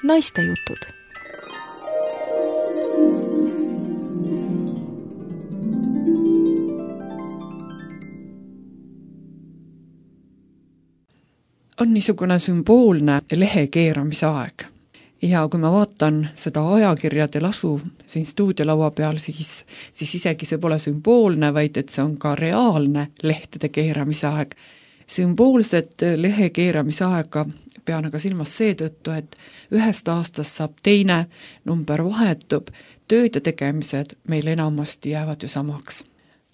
Naistejutud. On niisugune sümboolne lehe keeramise aeg. Ja kui ma vaatan seda ajakirjade lasu siin stuudiolaua peal, siis isegi see pole sümboolne, vaid et see on ka reaalne lehtede keeramise aeg. Sümboolset lehe keeramise aega pean aga silmas seetõttu, et ühest aastast saab teine, number vahetub, tööd ja tegemised meil enamasti jäävad ju samaks.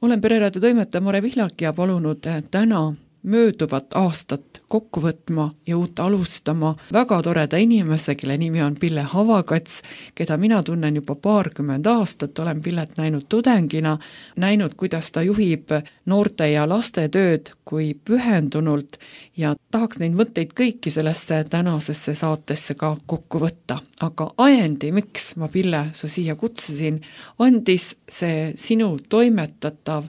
Olen Pereraadio toimetaja Mare Vihlak ja palunud täna mööduvat aastat kokku võtma ja uut alustama väga toreda inimese, kelle nimi on Pille Havakats, keda mina tunnen juba 20 aastat, olen Pillet näinud tudengina, näinud, kuidas ta juhib noorte ja laste tööd kui pühendunult ja tahaks neid mõtteid kõiki sellesse tänasesse saatesse ka kokku võtta. Aga ajendi, miks ma Pille su siia kutsusin, andis see sinu toimetatav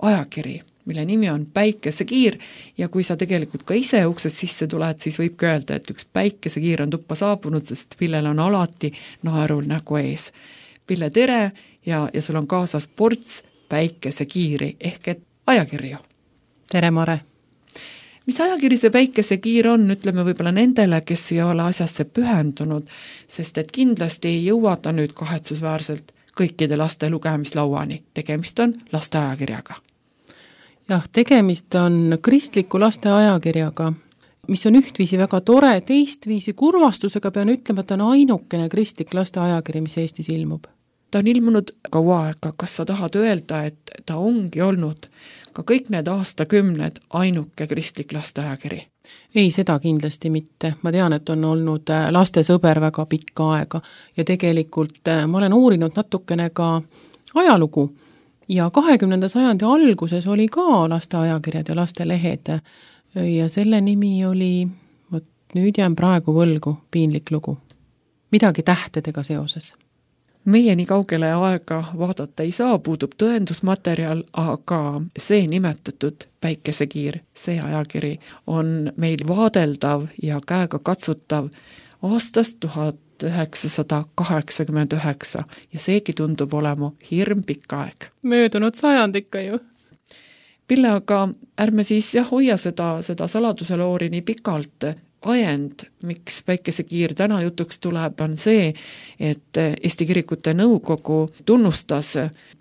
ajakiri, mille nimi on Päikesekiir ja kui sa tegelikult ka ise uksest sisse tuled, siis võib öelda, et üks päikesekiir on tuppa saabunud, sest Pillel on alati naerul nägu ees. Pille, tere ja sul on kaasas ports päikesekiiri ehk et ajakirju. Tere, Mare! Mis ajakiri see Päikesekiir on, ütleme võib-olla nendele, kes ei ole asjasse pühendunud, sest et kindlasti ei jõua ta nüüd kahetsusväärselt kõikide laste lugemislauani. Tegemist on laste ajakirjaga. Jah, tegemist on kristliku laste ajakirjaga, mis on ühtviisi väga tore, teistviisi kurvastusega pean ütlema, et on ainukene kristlik laste ajakiri, mis Eestis ilmub. Ta on ilmunud kaua aega, kas sa tahad öelda, et ta ongi olnud ka kõik need aastakümned ainuke kristlik laste ajakiri? Ei, seda kindlasti mitte. Ma tean, et on olnud laste sõber väga pikka aega ja tegelikult ma olen uurinud natukene ka ajalugu. Ja 20. sajandi alguses oli ka laste ajakirjad ja laste lehed ja selle nimi oli, nüüd jään praegu võlgu, piinlik lugu. Midagi tähtedega seoses. Meie nii kaugele aega vaadata ei saa, puudub tõendusmaterjal, aga see nimetatud Päikesekiir, see ajakiri on meil vaadeldav ja käega katsutav aastast 1989 ja seegi tundub olema hirm pikk aeg. Möödunud sajand ikka ju. Pille, aga ärme siis hoia seda saladuseloori nii pikalt. Ajend, miks Päikesekiir täna jutuks tuleb, on see, et Eesti Kirikute Nõukogu tunnustas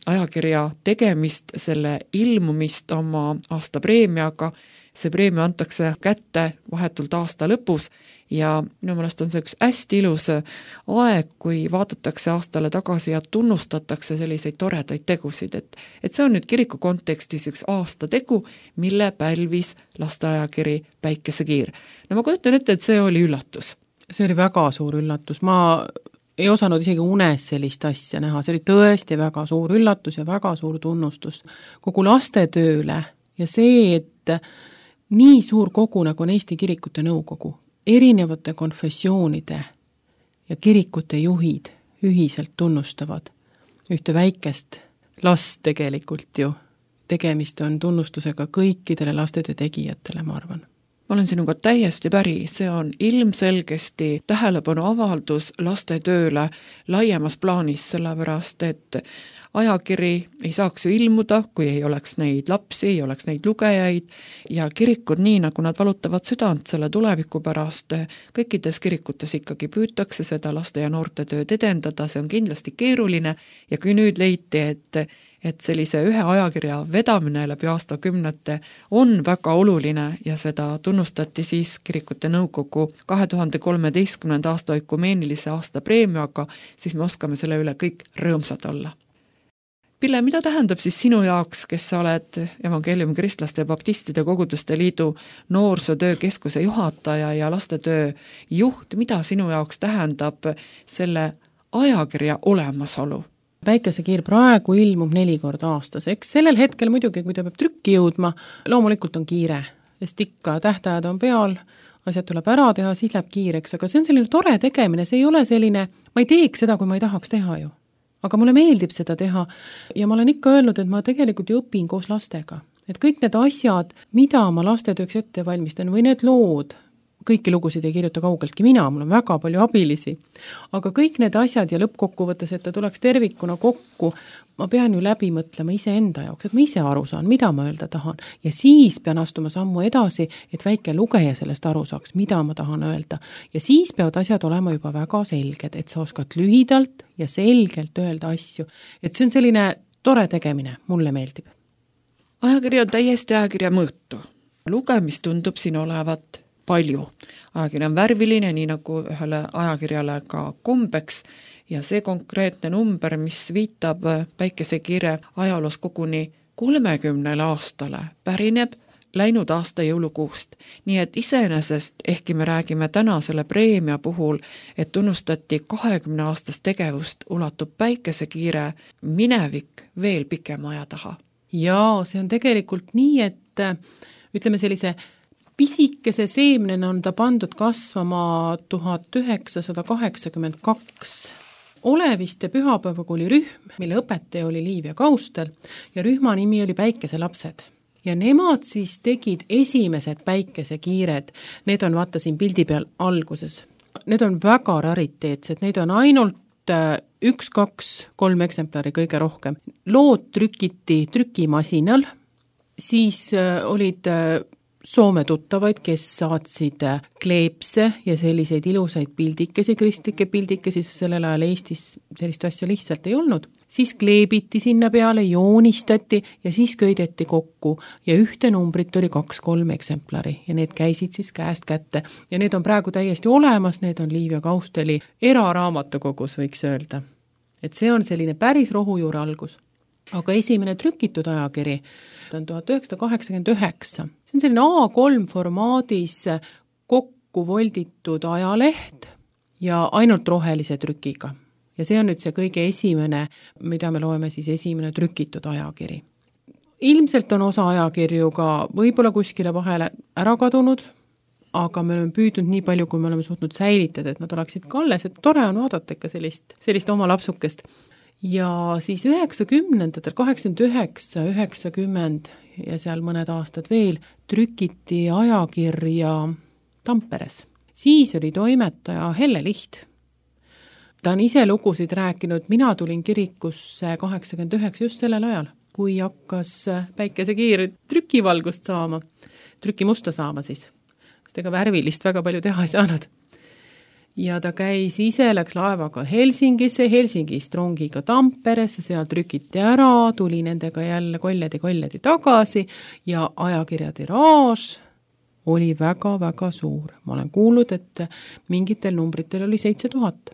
ajakirja tegemist, selle ilmumist oma aastapreemiaga. See preemia antakse kätte vahetult aasta lõpus ja minu meelest on see üks hästi ilus aeg, kui vaadatakse aastale tagasi ja tunnustatakse selliseid toredaid tegusid, et see on nüüd kiriku kontekstis üks aastategu, mille pälvis lasteajakiri Päikesekiir. No ma kujutan ette, et see oli üllatus. See oli väga suur üllatus. Ma ei osanud isegi unes sellist asja näha. See oli tõesti väga suur üllatus ja väga suur tunnustus kogu lastetööle ja see, et nii suur kogu nagu on Eesti Kirikute Nõukogu, erinevate konfessioonide ja kirikute juhid ühiselt tunnustavad ühte väikest last tegelikult ju. Tegemist on tunnustusega kõikidele lastetöö tegijatele, ma arvan. Ma olen sinuga täiesti päri, see on ilmselgesti tähelepanu avaldus lastetööle laiemas plaanis, sellepärast et ajakiri ei saaks ju ilmuda, kui ei oleks neid lapsi, ei oleks neid lugejaid ja kirikud nii, nagu nad valutavad südant selle tuleviku pärast, kõikides kirikutes ikkagi püütakse seda laste ja noorte tööd edendada, see on kindlasti keeruline ja kui nüüd leiti, et sellise ühe ajakirja vedamine läbi aastakümnete on väga oluline ja seda tunnustati siis Kirikute Nõukogu 2013. aasta ökumeenilise aasta preemiaga, siis me oskame selle üle kõik rõõmsad olla. Pille, mida tähendab siis sinu jaoks, kes sa oled Evangeeliumi Kristlaste ja Baptistide Koguduste Liidu noorsootöö keskuse juhataja ja lastetöö juht, mida sinu jaoks tähendab selle ajakirja olemasolu? Päikesekiir praegu ilmub 4 korda aastas. Eks sellel hetkel muidugi, kui ta peab trükki jõudma, loomulikult on kiire, sest ikka tähtajad on peal, asjad tuleb ära teha, siis läheb kiireks, aga see on selline tore tegemine, see ei ole selline, ma ei teeks seda, kui ma ei tahaks teha ju. Aga mulle meeldib seda teha ja ma olen ikka öelnud, et ma tegelikult ju õpin koos lastega. Et kõik need asjad, mida ma lastetööks ette valmistan või need lood, kõiki lugusid ei kirjuta kaugeltki mina, mul on väga palju abilisi. Aga kõik need asjad ja lõppkokkuvõttes, et ta tuleks tervikuna kokku, ma pean ju läbi mõtlema iseenda jaoks, et ma ise aru saan, mida ma öelda tahan. Ja siis pean astuma sammu edasi, et väike lugeja sellest aru saaks, mida ma tahan öelda. Ja siis peavad asjad olema juba väga selged, et sa oskad lühidalt ja selgelt öelda asju. Et see on selline tore tegemine, mulle meeldib. Ajakiri on täiesti ajakirja mõõtu. Lugemist tundub siin olevat palju. Ajakiri on värviline, nii nagu ühele ajakirjale ka kombeks, ja see konkreetne number, mis viitab Päikesekiire ajaloos koguni 30 aastale, pärineb läinud aasta jõulukuust. Nii et iseenesest, ehkki me räägime täna selle preemia puhul, et tunnustati 20 aastast tegevust, ulatub Päikesekiire minevik veel pikema aja taha. Jaa, see on tegelikult nii, et ütleme sellise pisikese seemnena on ta pandud kasvama 1982. Oleviste pühapäevakooli rühm, mille õpetaja oli Liivia Kaustel ja rühma nimi oli Päikeselapsed. Ja nemad siis tegid esimesed Päikesekiired. Need on, vaata siin pildi peal alguses. Need on väga rariteetsed, neid on ainult 1, 2, 3 eksemplari kõige rohkem. Lood trükiti trükimasinal, siis olid Soome tuttavaid, kes saatsid kleepse ja selliseid ilusaid pildikesi, kristlikke pildikesi, sest sellel ajal Eestis sellist asja lihtsalt ei olnud. Siis kleebiti sinna peale, joonistati ja siis köideti kokku ja ühte numbrit oli 2-3 eksemplari ja need käisid siis käest kätte. Ja need on praegu täiesti olemas, need on Liivia Kausteli eraraamatukogus, võiks öelda. Et see on selline päris rohujuure algus. Aga esimene trükitud ajakiri on 1989. See on selline A3 formaadis kokku volditud ajaleht ja ainult rohelise trükiga. Ja see on nüüd see kõige esimene, mida me loeme siis esimene trükitud ajakiri. Ilmselt on osa ajakirju ka võib-olla kuskile vahele ära kadunud, aga me oleme püüdnud nii palju, kui me oleme suutnud säilitada, et nad oleksid ka alles, et tore on vaadata ikka sellist oma lapsukest. Ja siis 90-ndatel, 89, 90 ja seal mõned aastad veel trükiti ajakirja Tamperes. Siis oli toimetaja Helle Liht. Ta on ise lugusid rääkinud, mina tulin kirikusse 89 just sellel ajal, kui hakkas Päikesekiir trükivalgust saama, trükimusta saama siis. Sest ega värvilist väga palju teha ei saanud. Ja ta käis ise, läks laevaga Helsingisse, Helsingist rongiga Tamperesse, seal trükiti ära, tuli nendega jälle koljadi tagasi ja ajakirja tiraaž oli väga-väga suur. Ma olen kuulnud, et mingitel numbritel oli 7000.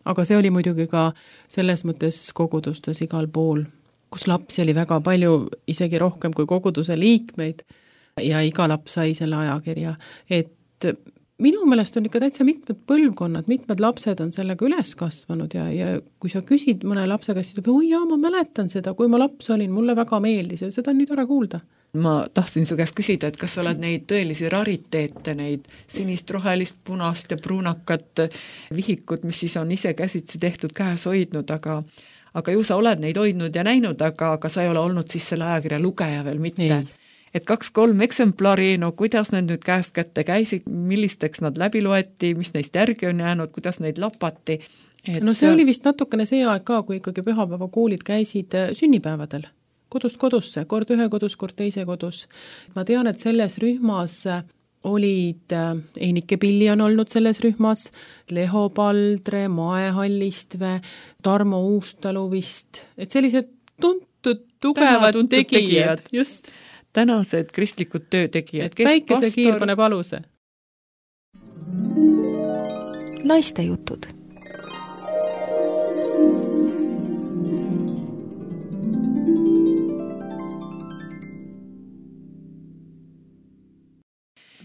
Aga see oli muidugi ka selles mõttes kogudustes igal pool, kus lapsi oli väga palju, isegi rohkem kui koguduse liikmeid ja iga laps sai selle ajakirja, et minu meelest on ikka täitsa mitmed põlvkonnad, mitmed lapsed on sellega üles kasvanud ja kui sa küsid mõne lapse käest, siis oi jaa, ma mäletan seda, kui ma laps olin, mulle väga meeldis ja seda on nii tore kuulda. Ma tahtsin su käest küsida, et kas sa oled neid tõelisi rariteete, neid sinist, rohelist, punast ja pruunakat vihikut, mis siis on ise käsitsi tehtud, käes hoidnud, aga ju sa oled neid hoidnud ja näinud, aga sa ei ole olnud siis selle ajakirja lugeja veel mitte. Ei. Et 2-3 eksemplari, no kuidas need nüüd käest kätte käisid, millisteks nad läbi loeti, mis neist järgi on jäänud, kuidas neid lapati. No see oli vist natukene see aeg ka, kui ikkagi pühapäevakoolid käisid sünnipäevadel, kodust kodusse, kord ühe kodus, kord teise kodus. Ma tean, et selles rühmas olid, Einike Pilli on olnud selles rühmas, Leho Paldre, Mae Hallistve, Tarmo Uustalu vist, et sellised tuntud, tugevad tegijad, just. Tänased kristlikud töötegijad. Et Päikesekiir paneb aluse. Naiste jutud.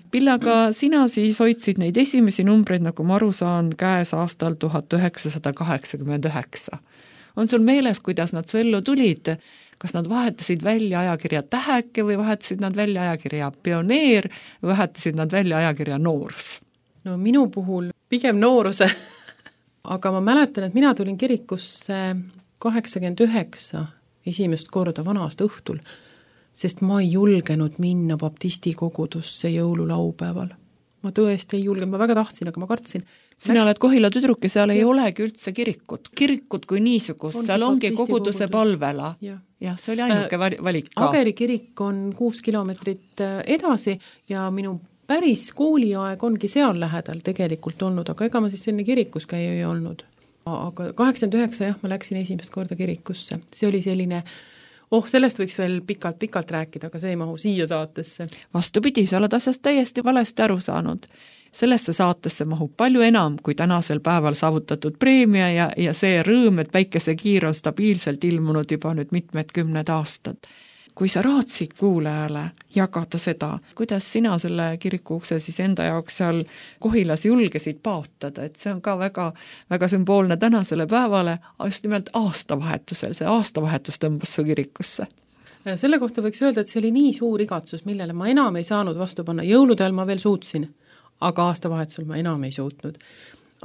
Pillaga sina siis hoidsid neid esimesi numbreid, nagu ma aru saan, käes aastal 1989. On sul meeles, kuidas nad su ellu tulid? Kas nad vahetasid välja ajakirja Täheke või vahetasid nad välja ajakirja Pioneer või vahetasid nad välja ajakirja Noorus? No minu puhul pigem nooruse. Aga ma mäletan, et mina tulin kirikusse 89 esimest korda vana-aasta õhtul, sest ma ei julgenud minna baptisti kogudusse jõululaupäeval. ma tõesti ei julge, ma väga tahtsin, aga ma kartsin. Sina oled Kohila tüdruk ja seal ei olegi üldse kirikut. Kirikut kui niisugust, seal ongi koguduse palvela. Jah, see oli ainuke valik ka. Ageri kirik on 6 kilomeetrit edasi ja minu päris kooliaeg ongi seal lähedal tegelikult olnud, aga ega ma siis selline kirikus käia ei olnud. Aga 89 jah, ma läksin esimest korda kirikusse. See oli selline sellest võiks veel pikalt rääkida, aga see ei mahu siia saatesse. Vastupidi, sa oled asjast täiesti valesti aru saanud. Sellesse saatesse mahub palju enam kui tänasel päeval saavutatud preemia ja see rõõm, et Päikesekiir on stabiilselt ilmunud juba nüüd mitmed 10 aastad. Kui sa raatsid kuulajale jagada seda, kuidas sina selle kirikuukse siis enda jaoks seal Kohilas julgesid paotada, et see on ka väga, väga sümboolne tänasele päevale, just nimelt aastavahetusel, see aastavahetus tõmbas su kirikusse. Selle kohta võiks öelda, et see oli nii suur igatsus, millele ma enam ei saanud vastu panna. Jõuludel ma veel suutsin, aga aastavahetusel ma enam ei suutnud.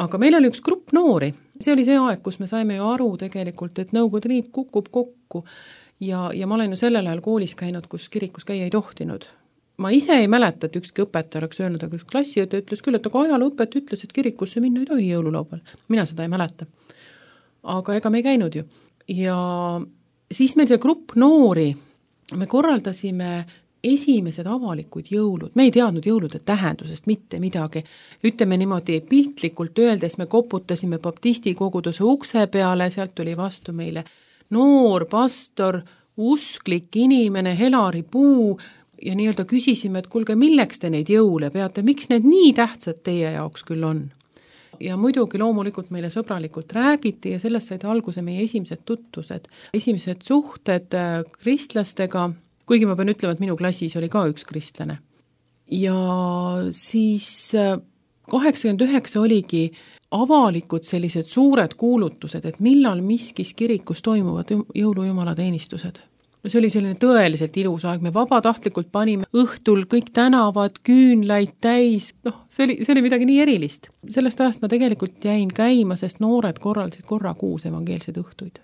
Aga meil oli üks grupp noori. See oli see aeg, kus me saime ju aru tegelikult, et Nõukogude Liit kukub kokku. Ja ma olen ju sellel ajal koolis käinud, kus kirikus käia ei tohtinud. Ma ise ei mäleta, et ükski õpetaja oleks öelnud, aga üks klassiõde ütles küll, et aga ajalooõpet ütles, et kirikusse minna ei tohi jõululaupäeval. Mina seda ei mäleta. Aga ega me ei käinud ju. Ja siis meil see grupp noori, me korraldasime esimesed avalikud jõulud. Me ei teadnud jõulude tähendusest mitte midagi. Ütleme niimoodi piltlikult öeldes, me koputasime baptisti koguduse ukse peale, sealt tuli vastu meile noor pastor, usklik inimene, Helari Puu ja nii-öelda küsisime, et kuulge, milleks te neid jõule peate, miks need nii tähtsad teie jaoks küll on? Ja muidugi loomulikult meile sõbralikult räägiti ja sellest said alguse meie esimesed tutvused, esimesed suhted kristlastega, kuigi ma pean ütlema, et minu klassis oli ka üks kristlane. Ja siis 89 oligi avalikud sellised suured kuulutused, et millal miskis kirikus toimuvad jõulujumalateenistused. See oli selline tõeliselt ilus aeg, me vabatahtlikult panime õhtul kõik tänavad, küünlaid täis, see oli midagi nii erilist. Sellest ajast ma tegelikult jäin käima, sest noored korraldasid korra kuus evangeelseid õhtuid.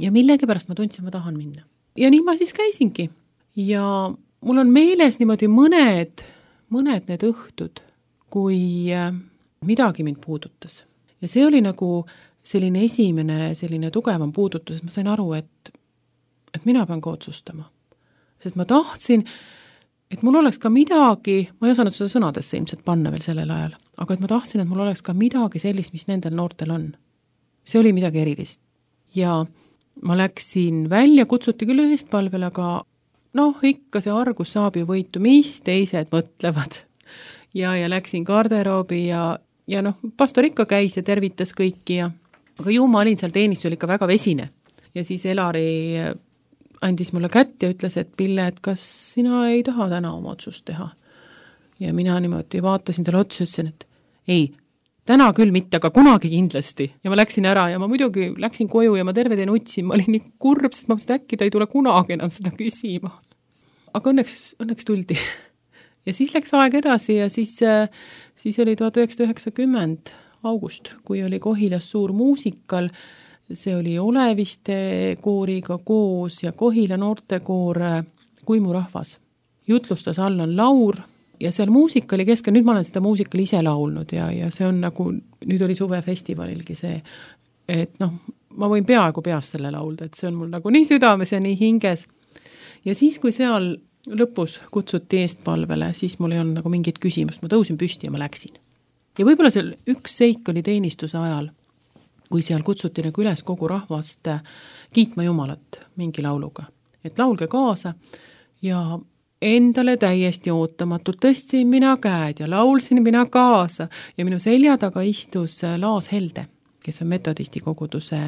Ja millegipärast ma tundsin, ma tahan minna. Ja nii ma siis käisingi. Ja mul on meeles niimoodi mõned need õhtud, kui midagi mind puudutas. Ja see oli nagu selline esimene, selline tugevam puudutus, ma sain aru, et mina pean ka otsustama. Sest ma tahtsin, et mul oleks ka midagi, ma ei osanud seda sõnadesse ilmselt panna veel sellel ajal, aga et ma tahtsin, et mul oleks ka midagi sellist, mis nendel noortel on. See oli midagi erilist. Ja ma läksin välja, kutsuti küll eestpalvel, aga ikka see argus saab ju võitu, mis teised mõtlevad. Ja läksin garderoobi ja pastor ikka käis ja tervitas kõiki aga ju ma olin seal teenistusel ikka väga vesine. Ja siis Elari andis mulle kätt ja ütles, et Pille, et kas sina ei taha täna oma otsust teha? Ja mina niimoodi vaatasin talle otsa ja ütlesin, et ei, täna küll mitte, aga kunagi kindlasti. Ja ma läksin ära ja ma muidugi läksin koju ja ma terve teen utsin, ma olin nii kurb, sest ma mõtlesin, äkki ta ei tule kunagi enam seda küsima. Aga õnneks tuldi. Ja siis läks aeg edasi ja siis oli 1990 august, kui oli Kohilas suur muusikal. See oli Oleviste kooriga koos ja Kohila noortekoor Kuimurahvas. Jutlustas Allan Laur ja seal muusikali keskel, nüüd ma olen seda muusikali ise laulnud ja see on nagu, nüüd oli suvefestivalilgi see, et ma võin peaaegu peast selle laulda, et see on mul nagu nii südames ja nii hinges. Ja siis, kui seal lõpus kutsuti eestpalvele, siis mul ei olnud nagu mingit küsimust, ma tõusin püsti ja ma läksin. Ja võib-olla seal üks seik oli teenistuse ajal, kui seal kutsuti nagu üles kogu rahvast kiitma Jumalat mingi lauluga. Et laulge kaasa ja endale täiesti ootamatult tõstsin mina käed ja laulsin mina kaasa ja minu selja taga istus Laas Helde, kes on metodisti koguduse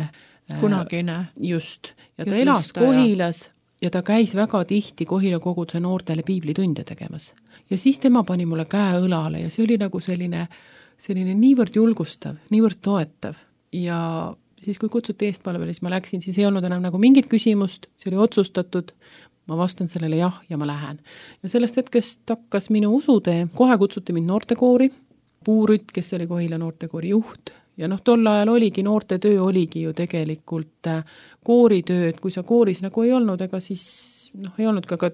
kunagine. Just. Ja ta elas Kohilas ja ta käis väga tihti Kohila koguduse noortele piiblitunde tegemas. Ja siis tema pani mulle käe õlale ja see oli nagu selline niivõrd julgustav, niivõrd toetav. Ja siis, kui kutsuti eestpalvele, siis ma läksin, siis ei olnud enam nagu mingit küsimust, see oli otsustatud, ma vastan sellele jah ja ma lähen. Ja sellest hetkest hakkas minu usutee, kohe kutsuti mind noortekoori, Puurütt, kes oli Kohila noortekoori juht. Ja tol ajal oligi, noortetöö oligi ju tegelikult kooritöö, et kui sa kooris nagu ei olnud, ega siis ei olnud ka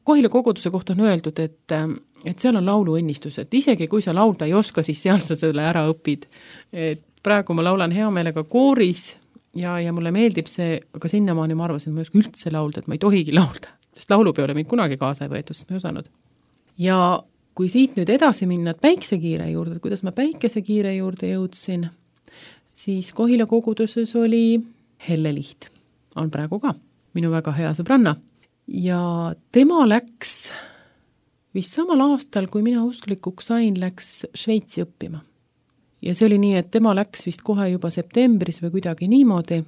Kohila koguduse kohta on öeldud, et seal on lauluõnnistus, et isegi kui sa laulda ei oska, siis seal sa selle ära õpid. Et praegu ma laulan hea meelega kooris ja mulle meeldib see, aga sinnamaani ma arvasin, et ma ei oska üldse laulda, et ma ei tohigi laulda, sest laulupeole mind kunagi kaasa ei võetud, sest ma ei osanud. Ja kui siit nüüd edasi minna päiksekiire juurde, kuidas ma päikesekiire juurde jõudsin, siis Kohila koguduses oli Helle Liht, on praegu ka minu väga hea sõbranna. Ja tema läks vist samal aastal, kui mina usklikuks sain, läks Šveitsi õppima. Ja see oli nii, et tema läks vist kohe juba septembris või kuidagi niimoodi,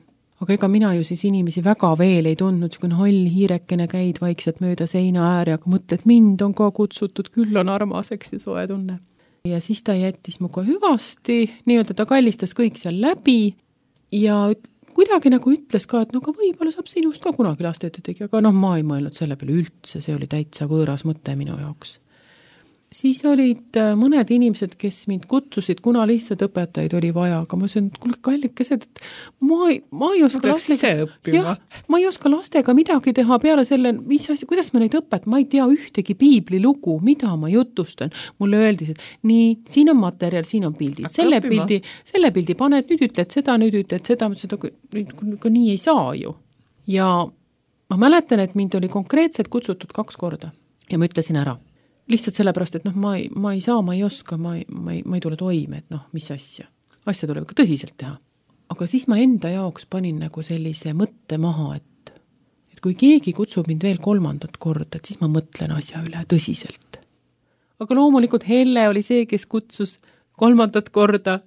aga ega mina ju siis inimesi väga veel ei tundnud, kui holl hiirekene käid vaikselt mööda seina ääri, aga mõtled, mind on ka kutsutud, küll on armaseks ja soe tunne. Ja siis ta jättis muga hüvasti, nii-öelda ta kallistas kõik seal läbi ja kuidagi nagu ütles ka, et no ka võib-olla saab sinust ka kunagi lastetöötegi, aga ma ei mõelnud selle peale üldse, see oli täitsa võõras mõte minu jaoks. Siis olid mõned inimesed, kes mind kutsusid, kuna lihtsalt õpetajaid oli vaja, aga ma ütlesin, et kuule kallikesed, et ma ei oska lastega, ma ei oska lastega midagi teha peale selle, kuidas ma neid ma ei tea ühtegi piiblilugu, mida ma jutustan. Mulle öeldi, et nii, siin on materjal, siin on pildid, selle pildi paned, nüüd ütled seda, ka nii ei saa ju. Ja ma mäletan, et mind oli konkreetselt kutsutud 2 korda ja ma ütlesin ära. Lihtsalt sellepärast, et ma ei saa, ma ei oska, ma ei tule toime, et mis asja. Asja tuleb ka tõsiselt teha. Aga siis ma enda jaoks panin nagu sellise mõtte maha, et kui keegi kutsub mind veel 3. korda, et siis ma mõtlen asja üle tõsiselt. Aga loomulikult Helle oli see, kes kutsus 3. korda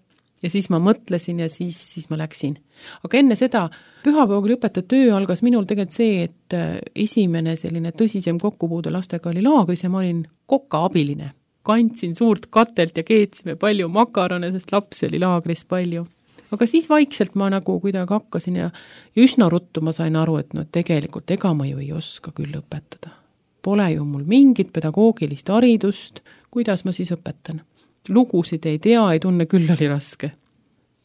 ja siis ma mõtlesin ja siis ma läksin. Aga enne seda pühapäeval õpetaja töö algas minul tegelikult see, et esimene selline tõsisem kokkupuude lastega oli laagris ja ma olin koka abiline. Kandsin suurt katelt ja keetsime palju makarone, sest lapsi oli laagris palju. Aga siis vaikselt ma nagu kuidagi hakkasin ja üsna ruttu ma sain aru, et tegelikult ega ma ju ei oska küll õpetada. Pole ju mul mingit pedagoogilist haridust, kuidas ma siis õpetan. Lugusid ei tea, ei tunne, küll oli raske.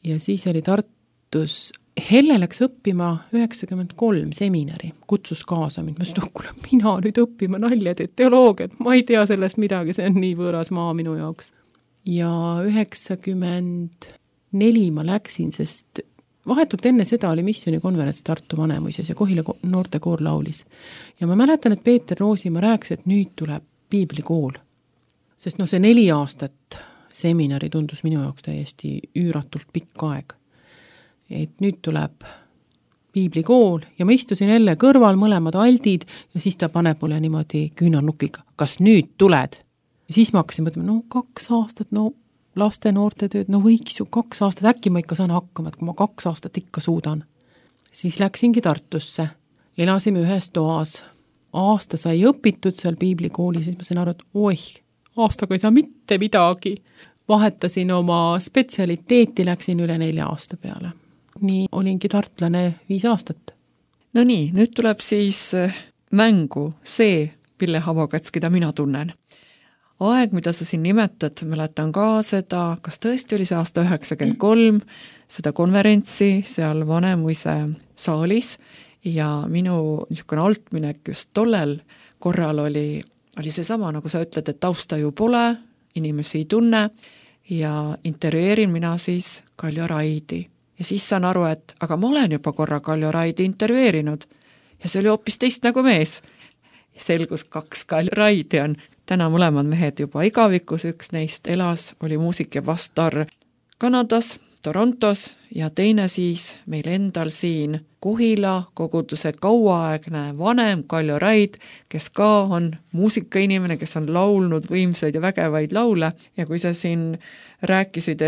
Ja siis oli Tartus, Helle läks õppima 93 seminari, kutsus kaasa mind, ma ütlesin, kuule, mina nüüd õppima naljad, et teoloogiat, ma ei tea sellest midagi, see on nii võõras maa minu jaoks. Ja 94 ma läksin, sest vahetult enne seda oli missioonikonverents Tartu Vanemuises ja Kohila noortekoor laulis. Ja ma mäletan, et Peeter Roosimaa rääkis, et nüüd tuleb piiblikool. Sest see 4 aastat seminari tundus minu jaoks täiesti üüratult pikk aeg. Et nüüd tuleb piiblikool ja ma istusin jälle kõrval mõlemad aldid ja siis ta paneb mulle niimoodi küünarnukiga, kas nüüd tuled? Ja siis ma hakkasin mõtlema, 2 aastat, laste noorte tööd, võiks ju 2 aastat, äkki ma ikka saan hakkama, et kui ma 2 aastat ikka suudan. Siis läksingi Tartusse, elasime ühes toas, aasta sai õpitud seal piiblikooli, siis ma sain aru, et aastaga ei saa mitte midagi. Vahetasin oma spetsialiteeti, läksin üle 4 aasta peale. Nii olingi tartlane 5 aastat. No nii, nüüd tuleb siis mängu see Pille Havokats, keda mina tunnen. Aeg, mida sa siin nimetad, mäletan ka seda, kas tõesti oli see aasta 93, seda konverentsi seal Vanemuise saalis ja minu niisugune altminek just tollel korral oli seesama, nagu sa ütled, et tausta ju pole, inimesi ei tunne ja intervjueerin mina siis Kaljo Raidi. Ja siis saan aru, et aga ma olen juba korra Kaljo Raidi intervjueerinud ja see oli hoopis teist nagu mees. Ja selgus 2 Kaljo Raidi on. Täna mõlemad mehed juba igavikus, üks neist elas, oli muusik ja pastor Kanadas, Torontos ja teine siis meil endal siin Kohila koguduse kauaaegne vanem Kaljo Raid, kes ka on muusikainimene, kes on laulnud võimsaid ja vägevaid laule ja kui sa siin rääkisid,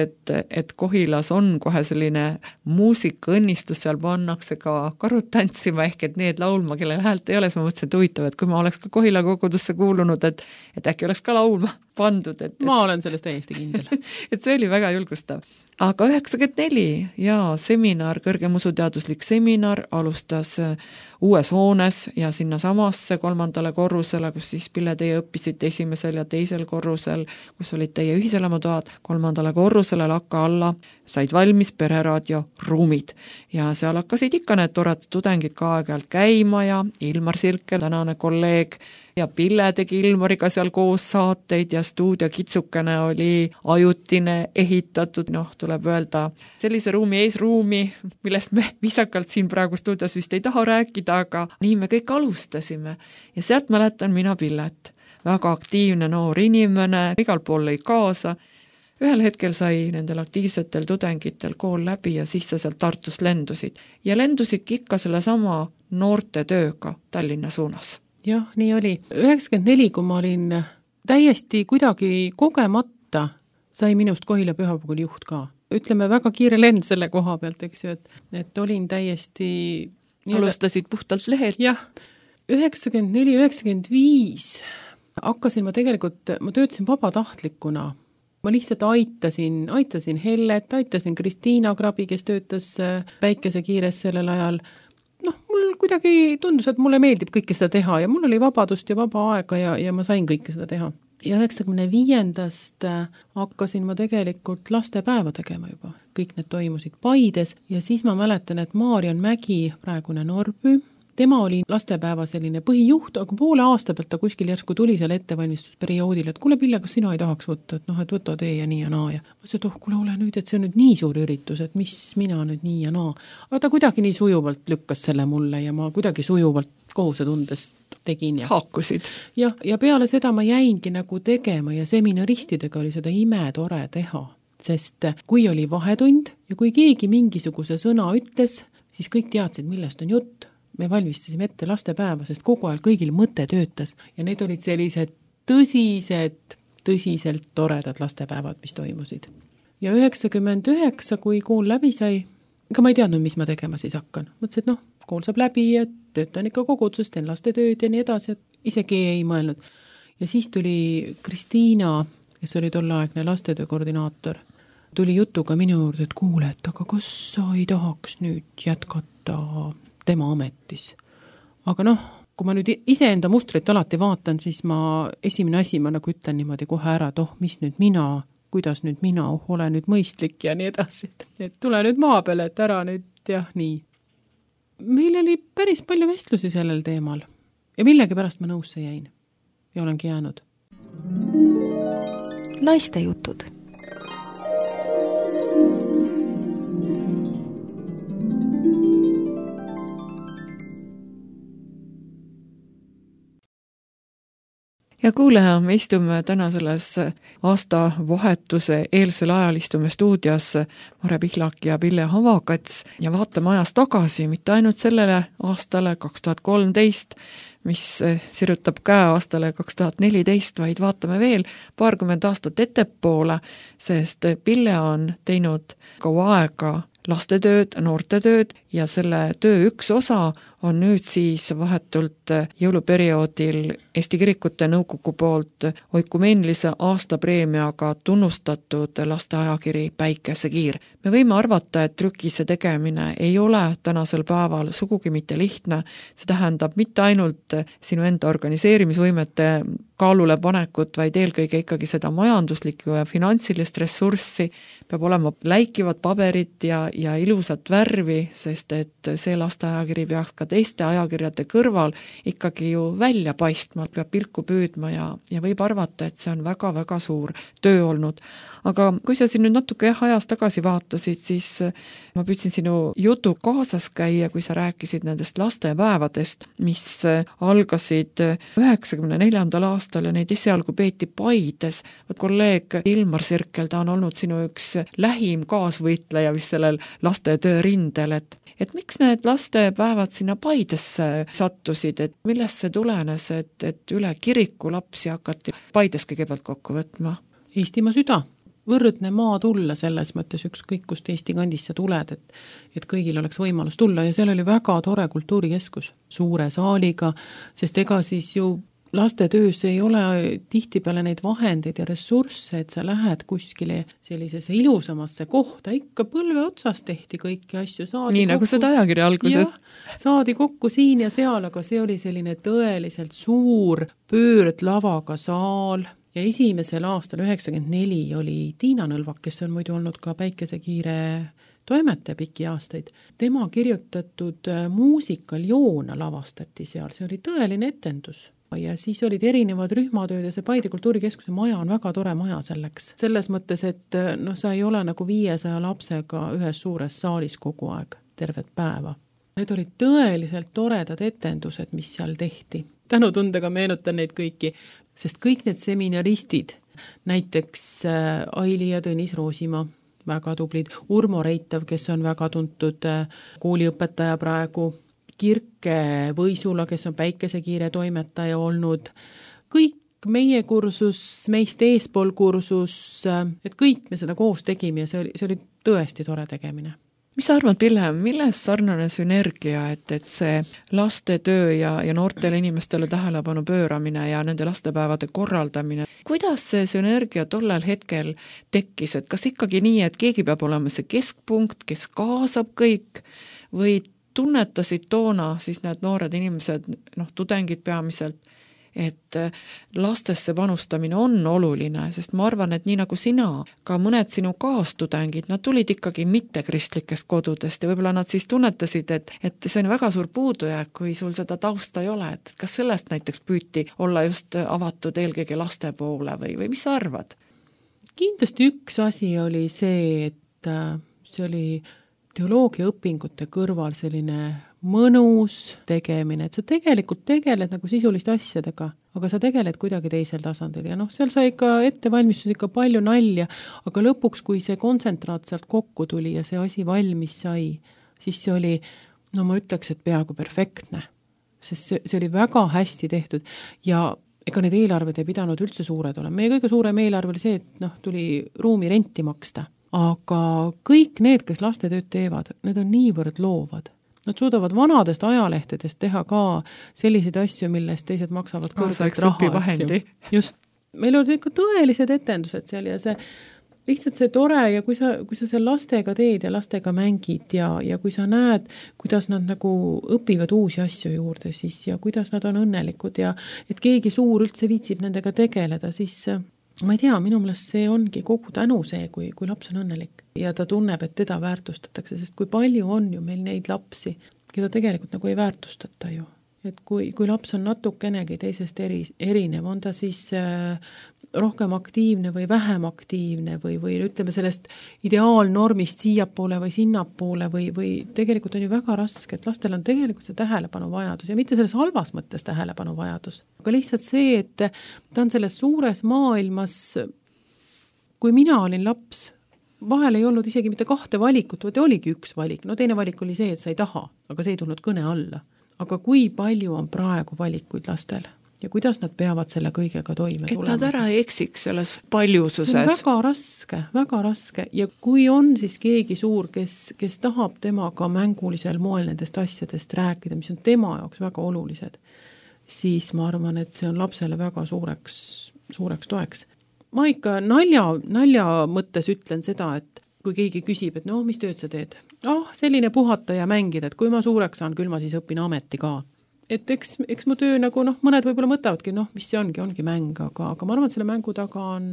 et Kohilas on kohe selline muusikaõnnistus, seal pannakse ka karud tantsima ehk et need laulma, kellel häält ei ole, siis ma mõtlesin, et huvitav, et kui ma oleks ka Kohila kogudusse kuulunud, et äkki oleks ka laulma pandud. Ma olen sellest täiesti kindel. Et see oli väga julgustav. Aga 94 ja seminar, kõrgem usuteaduslik seminar alustas uues hoones ja sinna samasse 3. korrusele, kus siis Pille teie õppisite 1. ja 2. korrusel, kus olid teie ühiselamatoad, 3. korrusele lakka alla said valmis pereraadio ruumid ja seal hakkasid ikka need toredad tudengid ka aeg-ajalt käima ja Ilmar Sirkel, tänane kolleeg ja Pille tegi Ilmariga seal koos saateid ja stuudio Kitsukene oli ajutine ehitatud, tuleb öelda, sellise ruumi eesruumi, millest me viisakalt siin praegu stuudios vist ei taha rääkida, aga nii me kõik alustasime. Ja sealt mäletan mina Pillet. Väga aktiivne noor inimene, igal pool lõi kaasa. Ühel hetkel sai nendel aktiivsetel tudengitel kool läbi ja siis sa sealt Tartust lendusid. Ja lendusidki ikka selle sama noorte tööga Tallinna suunas. Jah, nii oli. 94, kui ma olin täiesti kuidagi kogemata, sai minust Kohila Pühapäeval juht ka. Ütleme, väga kiire lend selle koha pealt, eks ju, et olin täiesti... Alustasid puhtalt lehelt? Jah, 94-95 hakkasin ma töötasin vabatahtlikuna. Ma lihtsalt aitasin Hellet, aitasin Kristiina Krabi, kes töötas Päikesekiires sellel ajal. Mul kuidagi tundus, et mulle meeldib kõike seda teha ja mul oli vabadust ja vaba aega ja ma sain kõike seda teha. Ja 95. hakkasin ma tegelikult lastepäeva tegema juba. Kõik need toimusid Paides ja siis ma mäletan, et Maarjan Mägi, praegune Norby, tema oli lastepäeva selline põhijuht, aga poole aasta pealt ta kuskil järsku tuli seal ettevalmistusperioodil, et kuule Pille, kas sina ei tahaks võtta, et võta tee ja nii ja naa. Ja ma ütlesin, et kuule ole nüüd, et see on nüüd nii suur üritus, et mis mina nüüd nii ja naa. Aga ta kuidagi nii sujuvalt lükkas selle mulle ja ma kuidagi sujuvalt kohusetundest tegin. Haakusid. Ja peale seda ma jäingi nagu tegema ja seminaristidega oli seda imetore teha, sest kui oli vahetund ja kui keegi mingisuguse sõna ütles, siis kõik teadsid, millest on jutt. Me valmistasime ette lastepäeva, sest kogu aeg kõigil mõte töötas ja need olid sellised tõsiselt toredad lastepäevad, mis toimusid. Ja 99, kui kool läbi sai, ega ma ei teadnud, mis ma tegema siis hakkan. Mõtlesin, et kool saab läbi ja töötan ikka kogudusest, teen lastetööd ja nii edasi, et isegi ei mõelnud. Ja siis tuli Kristiina, kes oli tolleaegne lastetöö koordinaator, tuli jutuga minu juurde, et kuule, et aga kas sa ei tahaks nüüd jätkata tema ametis. Aga kui ma nüüd iseenda mustrit alati vaatan, siis esimene asi ma nagu ütlen niimoodi kohe ära, et mis nüüd mina, kuidas nüüd mina, ole nüüd mõistlik ja nii edasi. Et tule nüüd maa peale, et ära nüüd nii. Meil oli päris palju vestlusi sellel teemal ja millegipärast ma nõusse jäin ja olengi jäänud. Naiste jutud. Ja kuuleja, me istume täna selles aastavahetuse eelsel ajal istume stuudios Mare Pihlak ja Pille Havakats ja vaatame ajas tagasi, mitte ainult sellele aastale 2013, mis sirutab käe aastale 2014, vaid vaatame veel 20 aastat ettepoole, sest Pille on teinud kaua aega lastetööd, noortetööd ja selle töö üks osa on nüüd siis vahetult jõuluperioodil Eesti Kirikute Nõukogu poolt oikumeenilise aastapreemiaga tunnustatud lasteajakiri Päikesekiir. Me võime arvata, et trükise tegemine ei ole tänasel päeval sugugi mitte lihtne, see tähendab mitte ainult sinu enda organiseerimisvõimete kaalule panekut, vaid eelkõige ikkagi seda majanduslikku ja finantsilist ressurssi, peab olema läikivad paberid ja ilusat värvi, sest et see lasteajakiri peaks ka teiste ajakirjade kõrval ikkagi ju välja paistma, peab pilku püüdma ja võib arvata, et see on väga-väga suur töö olnud. Aga kui sa siin nüüd natuke ajas tagasi vaatasid, siis ma püüdsin sinu jutu kaasas käia, kui sa rääkisid nendest lastepäevadest, mis algasid 94. aastal ja neid esialgu peeti Paides. Kolleeg Ilmar Sirkel, ta on olnud sinu üks lähim kaasvõitleja vist sellel lastetöö rindel, et miks need lastepäevad sinna Paidesse sattusid, et millest see tulenes, et üle kiriku lapsi hakati Paides kõigepealt kokku võtma? Eestimaa süda. Võrdne maa tulla selles mõttes ükskõik, kust Eesti kandisse tuled, et kõigil oleks võimalus tulla ja seal oli väga tore kultuurikeskus suure saaliga, sest ega siis ju lastetöös ei ole tihtipeale neid vahendeid ja ressursse, et sa lähed kuskile sellisesse ilusamasse kohta, ikka põlve otsas tehti kõiki asju. Nii nagu seda ajakirja alguses. Saadi kokku siin ja seal, aga see oli selline tõeliselt suur pöördlavaga saal ja esimesel aastal 94 oli Tiina Nõlvak, kes on muidu olnud ka Päikesekiire toimetaja pikki aastaid. Tema kirjutatud muusikal Joona lavastati seal, see oli tõeline etendus. ja siis olid erinevad rühmatööd ja see Paide kultuurikeskuse maja on väga tore maja selleks. Selles mõttes, et sa ei ole nagu 500 lapsega ühes suures saalis kogu aeg, tervet päeva. Need olid tõeliselt toredad etendused, mis seal tehti. Tänutundega meenutan neid kõiki, sest kõik need seminaristid, näiteks Aili ja Tõnis Roosimaa, väga tublid, Urmo Reitav, kes on väga tuntud kooliõpetaja praegu, Kirke Võisula, kes on Päikesekiire toimetaja olnud, kõik meie kursus, meist eespool kursus, et kõik me seda koos tegime ja see oli tõesti tore tegemine. Mis sa arvad, Pille, milles sarnane sünergia, et see lastetöö ja noortele inimestele tähelepanu pööramine ja nende lastepäevade korraldamine, kuidas see sünergia tollel hetkel tekkis, et kas ikkagi nii, et keegi peab olema see keskpunkt, kes kaasab kõik või tunnetasid toona siis need noored inimesed, tudengid peamiselt, et lastesse panustamine on oluline, sest ma arvan, et nii nagu sina, ka mõned sinu kaastudengid, nad tulid ikkagi mittekristlikest kodudest ja võib-olla nad siis tunnetasid, et see on väga suur puudujääk, kui sul seda tausta ei ole, et kas sellest näiteks püüti olla just avatud eelkõige laste poole või mis sa arvad? Kindlasti üks asi oli see, et see oli teoloogia õpingute kõrval selline mõnus tegemine, et sa tegelikult tegeled nagu sisuliste asjadega, aga sa tegeled kuidagi teisel tasandil ja seal sai ikka ettevalmistus ikka palju nalja, aga lõpuks, kui see kontsentraat sealt kokku tuli ja see asi valmis sai, siis see oli, ma ütleks, et peaaegu perfektne, sest see oli väga hästi tehtud ja ega need eelarved ei pidanud üldse suured olema. Meie kõige suurem eelarve oli see, et tuli ruumi renti maksta. Aga kõik need, kes lastetööd teevad, need on niivõrd loovad. Nad suudavad vanadest ajalehtedest teha ka selliseid asju, millest teised maksavad kõrgelt raha. Just, meil olid ikka tõelised etendused seal ja see lihtsalt see tore ja kui sa seal lastega teed ja lastega mängid ja kui sa näed, kuidas nad nagu õpivad uusi asju juurde siis ja kuidas nad on õnnelikud ja et keegi suur üldse viitsib nendega tegeleda, siis ma ei tea, minu meelest see ongi kogu tänu see, kui laps on õnnelik ja ta tunneb, et teda väärtustatakse, sest kui palju on ju meil neid lapsi, keda tegelikult nagu ei väärtustata ju. Et kui laps on natukenegi teisest erinev, on ta siis rohkem aktiivne või vähem aktiivne või ütleme sellest ideaalnormist siiapoole või sinnapoole või tegelikult on ju väga raske, et lastel on tegelikult see tähelepanu vajadus ja mitte selles halvas mõttes tähelepanu vajadus, aga lihtsalt see, et ta on selles suures maailmas, kui mina olin laps, vahel ei olnud isegi mitte 2 valikut, vaid oligi üks valik, teine valik oli see, et sa ei taha, aga see ei tulnud kõne alla. Aga kui palju on praegu valikuid lastel ja kuidas nad peavad selle kõigega toime tulema? Et nad ära ei eksiks selles paljususes. See on väga raske ja kui on siis keegi suur, kes tahab temaga mängulisel moel nendest asjadest rääkida, mis on tema jaoks väga olulised, siis ma arvan, et see on lapsele väga suureks toeks. Ma ikka nalja mõttes ütlen seda, et kui keegi küsib, et mis tööd sa teed? Selline puhata ja mängida, et kui ma suureks saan, küll ma siis õpin ameti ka. Et eks mu töö nagu, mõned võib-olla mõtavadki, mis see ongi mäng, aga ma arvan, et selle mängu taga on,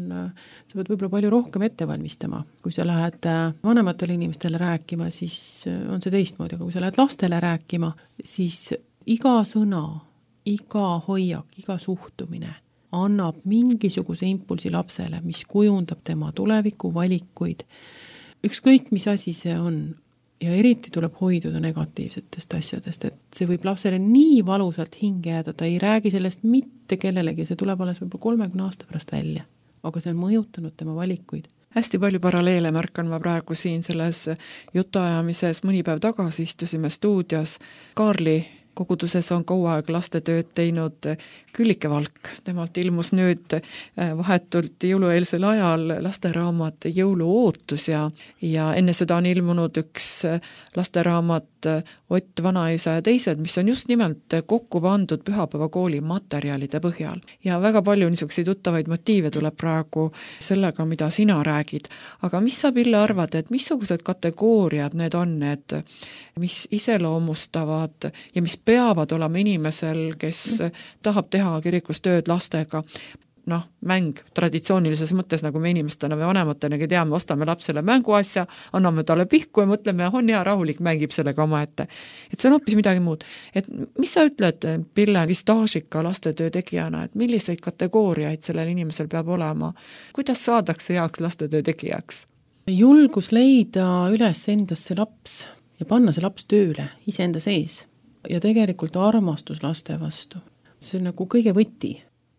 sa pead võib-olla palju rohkem ette valmistama. Kui sa lähed vanematele inimestele rääkima, siis on see teistmoodi, aga kui sa lähed lastele rääkima, siis iga sõna, iga hoiak, iga suhtumine annab mingisuguse impulsi lapsele, mis kujundab tema tuleviku valikuid. Ükskõik, mis asi see on. Ja eriti tuleb hoiduda negatiivsetest asjadest, et see võib lapsele nii valusalt hinge jääda, ta ei räägi sellest mitte kellelegi, see tuleb alles võib-olla 30 aasta pärast välja, aga see on mõjutanud tema valikuid. Hästi palju paralleele märkan ma praegu siin selles jutuajamises, mõni päev tagasi istusime stuudios Kaarli koguduses on kaua aeg lastetööd teinud Küllike Valk. Temalt ilmus nüüd vahetult jõulueelsel ajal lasteraamat Jõuluootus ja enne seda on ilmunud üks lasteraamat Ott Vanaisa ja teised, mis on just nimelt kokku pandud pühapäevakooli materjalide põhjal. Ja väga palju niisuguseid tuttavaid motiive tuleb praegu sellega, mida sina räägid. Aga mis sa, Pille, arvad, et missugused kategooriad need on, need, mis iseloomustavad ja mis peavad olema inimesel, kes tahab teha kirikus tööd lastega? mäng traditsioonilises mõttes, nagu me inimestena või vanematena teame, ostame lapsele mänguasja, anname talle pihku ja mõtleme, on hea, rahulik, mängib sellega omaette. Et see on hoopis midagi muud. Et mis sa ütled, Pille, staažika lastetöö tegijana, et milliseid kategooriaid sellel inimesel peab olema? Kuidas saadakse heaks lastetöö tegijaks? Julgus leida üles endasse laps ja panna see laps tööle iseenda sees ja tegelikult armastus laste vastu. See on nagu kõige võti.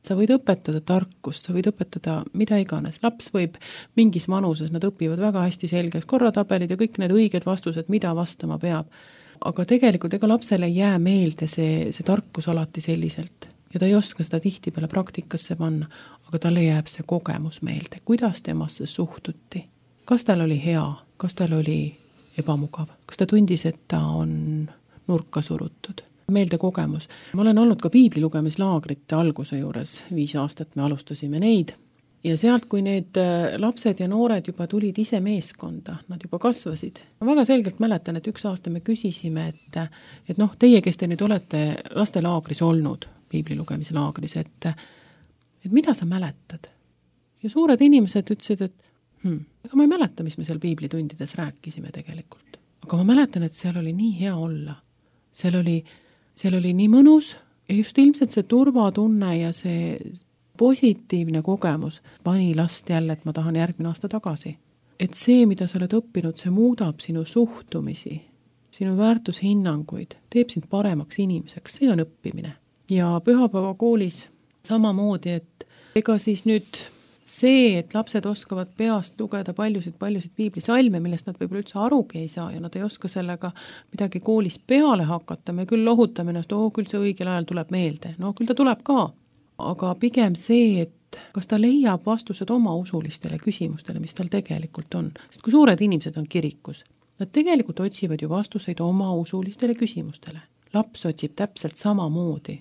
Sa võid õpetada tarkust, sa võid õpetada mida iganes. Laps võib mingis vanuses, nad õpivad väga hästi selgeks korratabelid ja kõik need õiged vastused, mida vastama peab. Aga tegelikult ega lapsele ei jää meelde see tarkus alati selliselt. Ja ta ei oska seda tihtipeale praktikasse panna, aga talle jääb see kogemus meelde. Kuidas temasse suhtuti? Kas tal oli hea? Kas tal oli ebamugav? Kas ta tundis, et ta on nurka surutud? Meelde kogemus. Ma olen olnud ka piibli lugemislaagrite alguse juures, 5 aastat me alustasime neid ja sealt, kui need lapsed ja noored juba tulid ise meeskonda, nad juba kasvasid. Ma väga selgelt mäletan, et 1 aasta me küsisime, et teie, kes te nüüd olete lastelaagris olnud, piibli lugemislaagris, et mida sa mäletad? Ja suured inimesed ütlesid, et aga ma ei mäleta, mis me seal piiblitundides rääkisime tegelikult. Aga ma mäletan, et seal oli nii hea olla. Seal oli nii mõnus ja just ilmselt see turvatunne ja see positiivne kogemus pani last jälle, et ma tahan järgmine aasta tagasi. Et see, mida sa oled õppinud, see muudab sinu suhtumisi, sinu väärtushinnanguid, teeb sind paremaks inimeseks, see on õppimine. Ja pühapäevakoolis samamoodi, et ega siis nüüd see, et lapsed oskavad peast lugeda paljusid piiblisalme, millest nad võib-olla üldse arugi ei saa ja nad ei oska sellega midagi koolis peale hakata, me küll lohutame ennast, küll see õigel ajal tuleb meelde, küll ta tuleb ka, aga pigem see, et kas ta leiab vastused oma usulistele küsimustele, mis tal tegelikult on, sest kui suured inimesed on kirikus, nad tegelikult otsivad ju vastuseid oma usulistele küsimustele. Laps otsib täpselt samamoodi,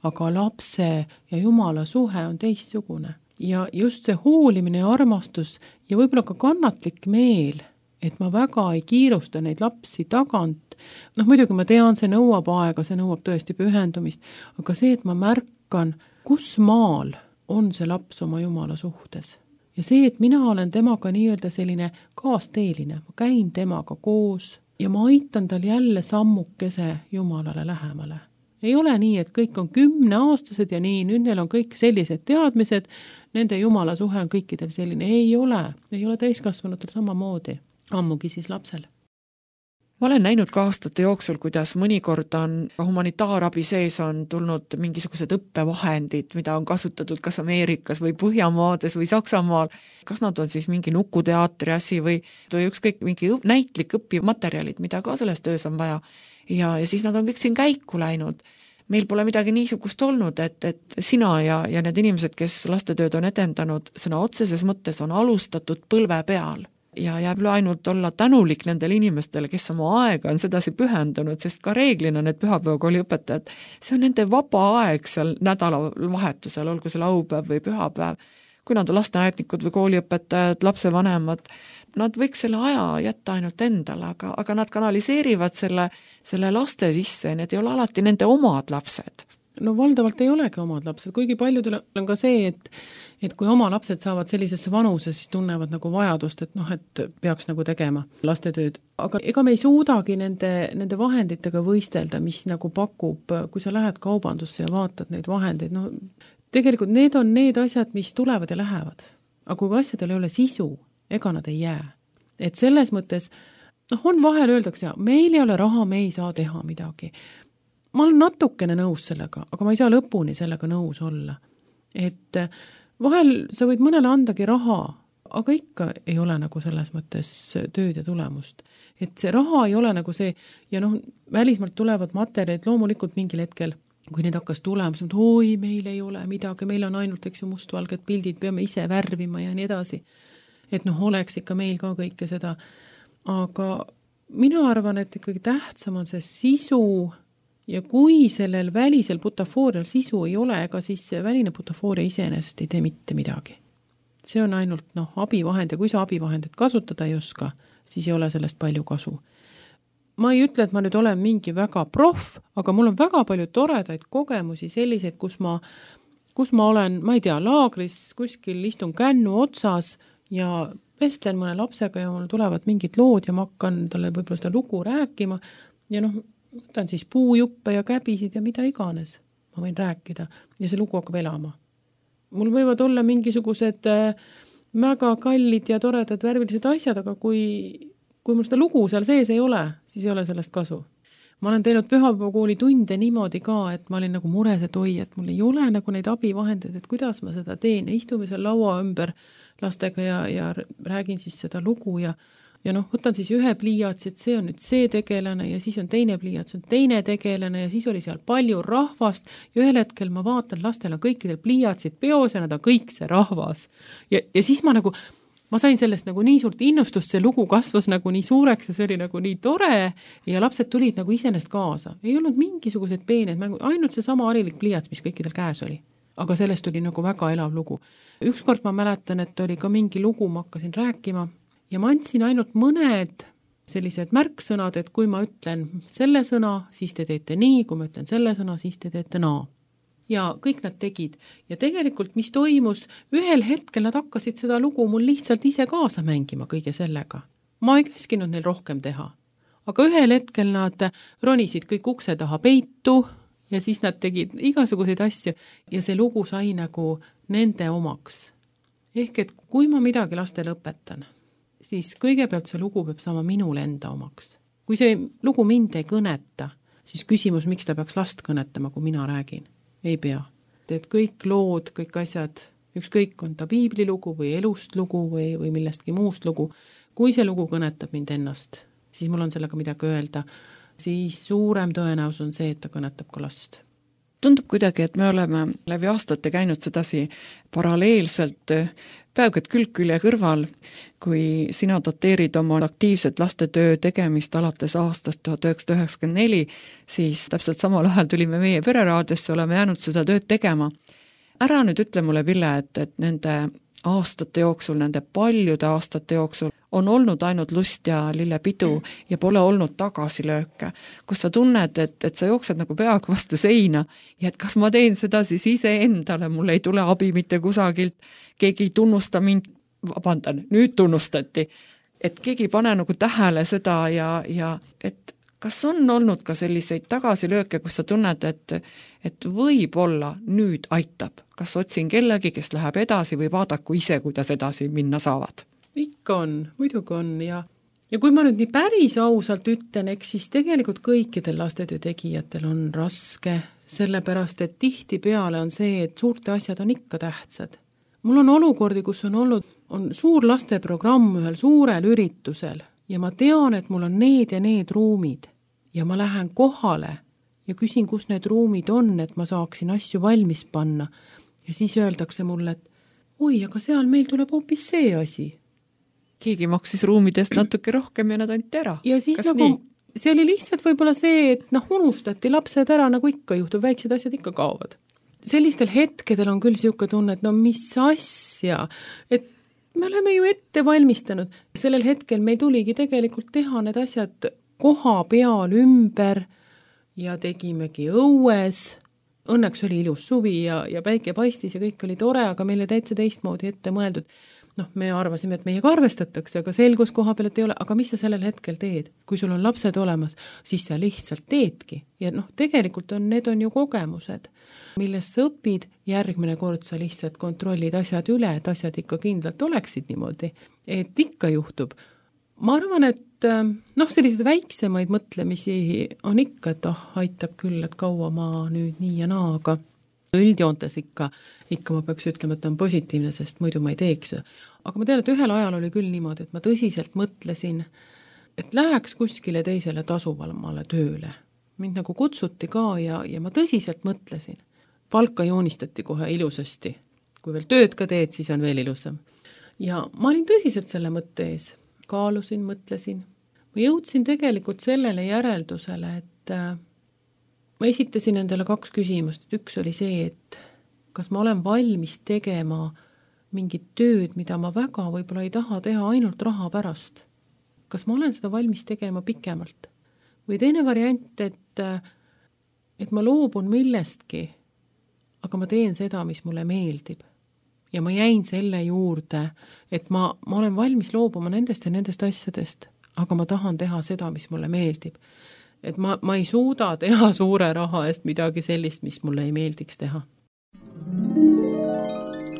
aga lapse ja Jumala suhe on teistsugune. Ja just see hoolimine ja armastus ja võib-olla ka kannatlik meel, et ma väga ei kiirusta neid lapsi tagant. Muidugi ma tean, see nõuab aega, see nõuab tõesti pühendumist, aga see, et ma märkan, kus maal on see laps oma Jumala suhtes. Ja see, et mina olen temaga nii-öelda selline kaasteeline, ma käin temaga koos ja ma aitan tal jälle sammukese Jumalale lähemale. Ei ole nii, et kõik on 10-aastased ja nii, nüüd neil on kõik sellised teadmised, nende Jumala suhe on kõikidel selline. Ei ole täiskasvanutel samamoodi, ammugi siis lapsel. Ma olen näinud ka aastate jooksul, kuidas mõnikord on humanitaarabi sees on tulnud mingisugused õppevahendid, mida on kasutatud kas Ameerikas või Põhjamaades või Saksamaal. Kas nad on siis mingi nukuteatri asi või ükskõik mingi näitlik õpimaterjalid, mida ka selles töös on vaja. Ja siis nad on kõik siin käiku läinud. Meil pole midagi niisugust olnud, et sina ja need inimesed, kes lastetööd on edendanud, sõna otseses mõttes on alustatud põlve peal. Ja jääb ainult olla tänulik nendele inimestele, kes oma aega on sedasi pühendunud, sest ka reeglina need pühapäevakooli õpetajad, see on nende vaba aeg seal nädalavahetusel, olgu see laupäev või pühapäev. Kui nad on lasteaednikud või kooliõpetajad, lapsevanemad, nad võiks selle aja jätta ainult endale, aga nad kanaliseerivad selle laste sisse, need ei ole alati nende omad lapsed. Valdavalt ei olegi omad lapsed, kuigi paljudel on ka see, et kui oma lapsed saavad sellisesse vanuse, siis tunnevad nagu vajadust, et peaks nagu tegema lastetööd. Aga ega me ei suudagi nende vahenditega võistelda, mis nagu pakub, kui sa lähed kaubandusse ja vaatad neid vahendeid, tegelikult need on need asjad, mis tulevad ja lähevad. Aga kui asjadel ei ole sisu, ega nad ei jää. Et selles mõttes, on vahel öeldakse, meil ei ole raha, me ei saa teha midagi. Ma olen natukene nõus sellega, aga ma ei saa lõpuni sellega nõus olla. Et vahel sa võid mõnele andagi raha, aga ikka ei ole nagu selles mõttes tööd ja tulemust. Et see raha ei ole nagu see, ja välismaalt tulevad materjalid loomulikult mingil hetkel, kui need hakkas tulema, siis meil ei ole midagi, meil on ainult mustvalged pildid, peame ise värvima ja nii edasi. Et oleks ikka meil ka kõike seda. Aga mina arvan, et ikkagi tähtsam on see sisu. Ja kui sellel välisel butafoorial sisu ei ole, ega siis see väline butafooria iseenesest ei tee mitte midagi. See on ainult abivahend ja kui sa abivahendit kasutada ei oska, siis ei ole sellest palju kasu. Ma ei ütle, et ma nüüd olen mingi väga proff, aga mul on väga palju toredaid kogemusi selliseid, kus ma kus ma olen, ma ei tea, laagris kuskil istun kännu otsas ja vestlen mõne lapsega ja mul tulevad mingid lood ja ma hakkan talle võib-olla seda lugu rääkima ja noh, võtan siis puujuppe ja käbisid ja mida iganes ma võin rääkida ja see lugu hakkab elama. Mul võivad olla mingisugused väga kallid ja toredad värvilised asjad, aga kui mul seda lugu seal sees ei ole, siis ei ole sellest kasu. Ma olen teinud pühapäevakooli tunde niimoodi ka, et ma olin nagu mures, et oi, et mul ei ole nagu neid abivahendeid, et kuidas ma seda teen ja istume seal laua ümber lastega ja räägin siis seda lugu ja noh, võtan siis ühe pliiatsi, et see on nüüd see tegelane ja siis on teine pliiats, on teine tegelane ja siis oli seal palju rahvast ja ühel hetkel ma vaatan, lastel on kõikidel pliiatsid peos ja nad on kõik see rahvas. Ja siis ma sain sellest nagu nii suurt innustust, see lugu kasvas nagu nii suureks ja see oli nagu nii tore ja lapsed tulid nagu iseenest kaasa. Ei olnud mingisugused peened mängu, ainult see sama harilik pliiats, mis kõikidel käes oli. Aga sellest oli nagu väga elav lugu. Ükskord ma mäletan, et oli ka mingi lugu, ma hakkasin rääkima ja ma andsin ainult mõned sellised märksõnad, et kui ma ütlen selle sõna, siis te teete nii, kui ma ütlen selle sõna, siis te teete naa. Ja kõik nad tegid. Ja tegelikult, mis toimus, ühel hetkel nad hakkasid seda lugu mul lihtsalt ise kaasa mängima kõige sellega. Ma ei käskinud neil rohkem teha. Aga ühel hetkel nad ronisid kõik ukse taha peitu ja siis nad tegid igasuguseid asju ja see lugu sai nagu nende omaks. Ehk et kui ma midagi lastele õpetan, siis kõigepealt see lugu peab saama minule enda omaks. Kui see lugu mind ei kõneta, siis küsimus, miks ta peaks last kõnetama, kui mina räägin. Ei pea. Et kõik lood, kõik asjad, ükskõik on ta piiblilugu või elust lugu või millestki muust lugu, kui see lugu kõnetab mind ennast, siis mul on sellega midagi öelda, siis suurem tõenäosus on see, et ta kõnetab ka last. Tundub kuidagi, et me oleme läbi aastate käinud sedasi paralleelselt peaaegu et külg-külje kõrval, kui sina doteerid oma aktiivset lastetöö tegemist alates aastast 1994, siis täpselt samal ajal tulime meie pereraadiosse, oleme jäänud seda tööd tegema. Ära nüüd ütle mulle, Ville, et nende aastate jooksul, nende paljude aastate jooksul on olnud ainult lust ja lillepidu ja pole olnud tagasilööke, kus sa tunned, et sa jooksed nagu peaaegu vastu seina ja et kas ma teen seda siis ise endale, mul ei tule abi mitte kusagilt, keegi ei tunnusta mind, vabandan, nüüd tunnustati, et keegi ei pane nagu tähele seda ja et kas on olnud ka selliseid tagasilööke, kus sa tunned, et võib-olla nüüd aitab, kas otsin kellegi, kes läheb edasi või vaadaku ise, kuidas edasi minna saavad? Ikka on, muidugi on ja kui ma nüüd nii päris ausalt ütlen, eks siis tegelikult kõikidel lastetöö tegijatel on raske, sellepärast et tihtipeale on see, et suurte asjad on ikka tähtsad. Mul on olukordi, kus on suur lasteprogramm ühel suurel üritusel ja ma tean, et mul on need ja need ruumid ja ma lähen kohale ja küsin, kus need ruumid on, et ma saaksin asju valmis panna ja siis öeldakse mulle, et oi, aga seal meil tuleb hoopis see asi. Keegi maksis ruumidest natuke rohkem ja nad anti ära. Ja siis kas nagu, see oli lihtsalt võib-olla see, et unustati lapsed ära, nagu ikka juhtub, väiksed asjad ikka kaovad. Sellistel hetkedel on küll siuke tunne, et mis asja, et me oleme ju ette valmistanud. Sellel hetkel meil tuligi tegelikult teha need asjad koha peal ümber ja tegimegi õues. Õnneks oli ilus suvi ja päike paistis ja kõik oli tore, aga meile täitsa teistmoodi ette mõeldud. Me arvasime, et meiega arvestatakse, aga selgus koha peal, et ei ole, aga mis sa sellel hetkel teed? Kui sul on lapsed olemas, siis sa lihtsalt teedki. Ja tegelikult need on ju kogemused, millest sa õpid, järgmine kord sa lihtsalt kontrollid asjad üle, et asjad ikka kindlalt oleksid niimoodi. Et ikka juhtub. Ma arvan, et sellised väiksemaid mõtlemisi on ikka, et aitab küll, et kaua ma nüüd nii ja naa, aga üldjoontes ikka ma peaks ütlema, et on positiivne, sest muidu ma ei teeks. Aga ma tean, et ühel ajal oli küll niimoodi, et ma tõsiselt mõtlesin, et läheks kuskile teisele tasuvamale tööle. Mind nagu kutsuti ka ja ma tõsiselt mõtlesin. Palka joonistati kohe ilusasti. Kui veel tööd ka teed, siis on veel ilusam. Ja ma olin tõsiselt selle mõtte ees. Kaalusin, mõtlesin. Ma jõudsin tegelikult sellele järeldusele, et ma esitasin endale 2 küsimust. Üks oli see, et kas ma olen valmis tegema mingit tööd, mida ma väga võib-olla ei taha teha ainult raha pärast. Kas ma olen seda valmis tegema pikemalt? Või teine variant, et ma loobun millestki, aga ma teen seda, mis mulle meeldib. Ja ma jäin selle juurde, et ma olen valmis loobuma nendest ja nendest asjadest, aga ma tahan teha seda, mis mulle meeldib. Et ma ei suuda teha suure raha eest midagi sellist, mis mulle ei meeldiks teha.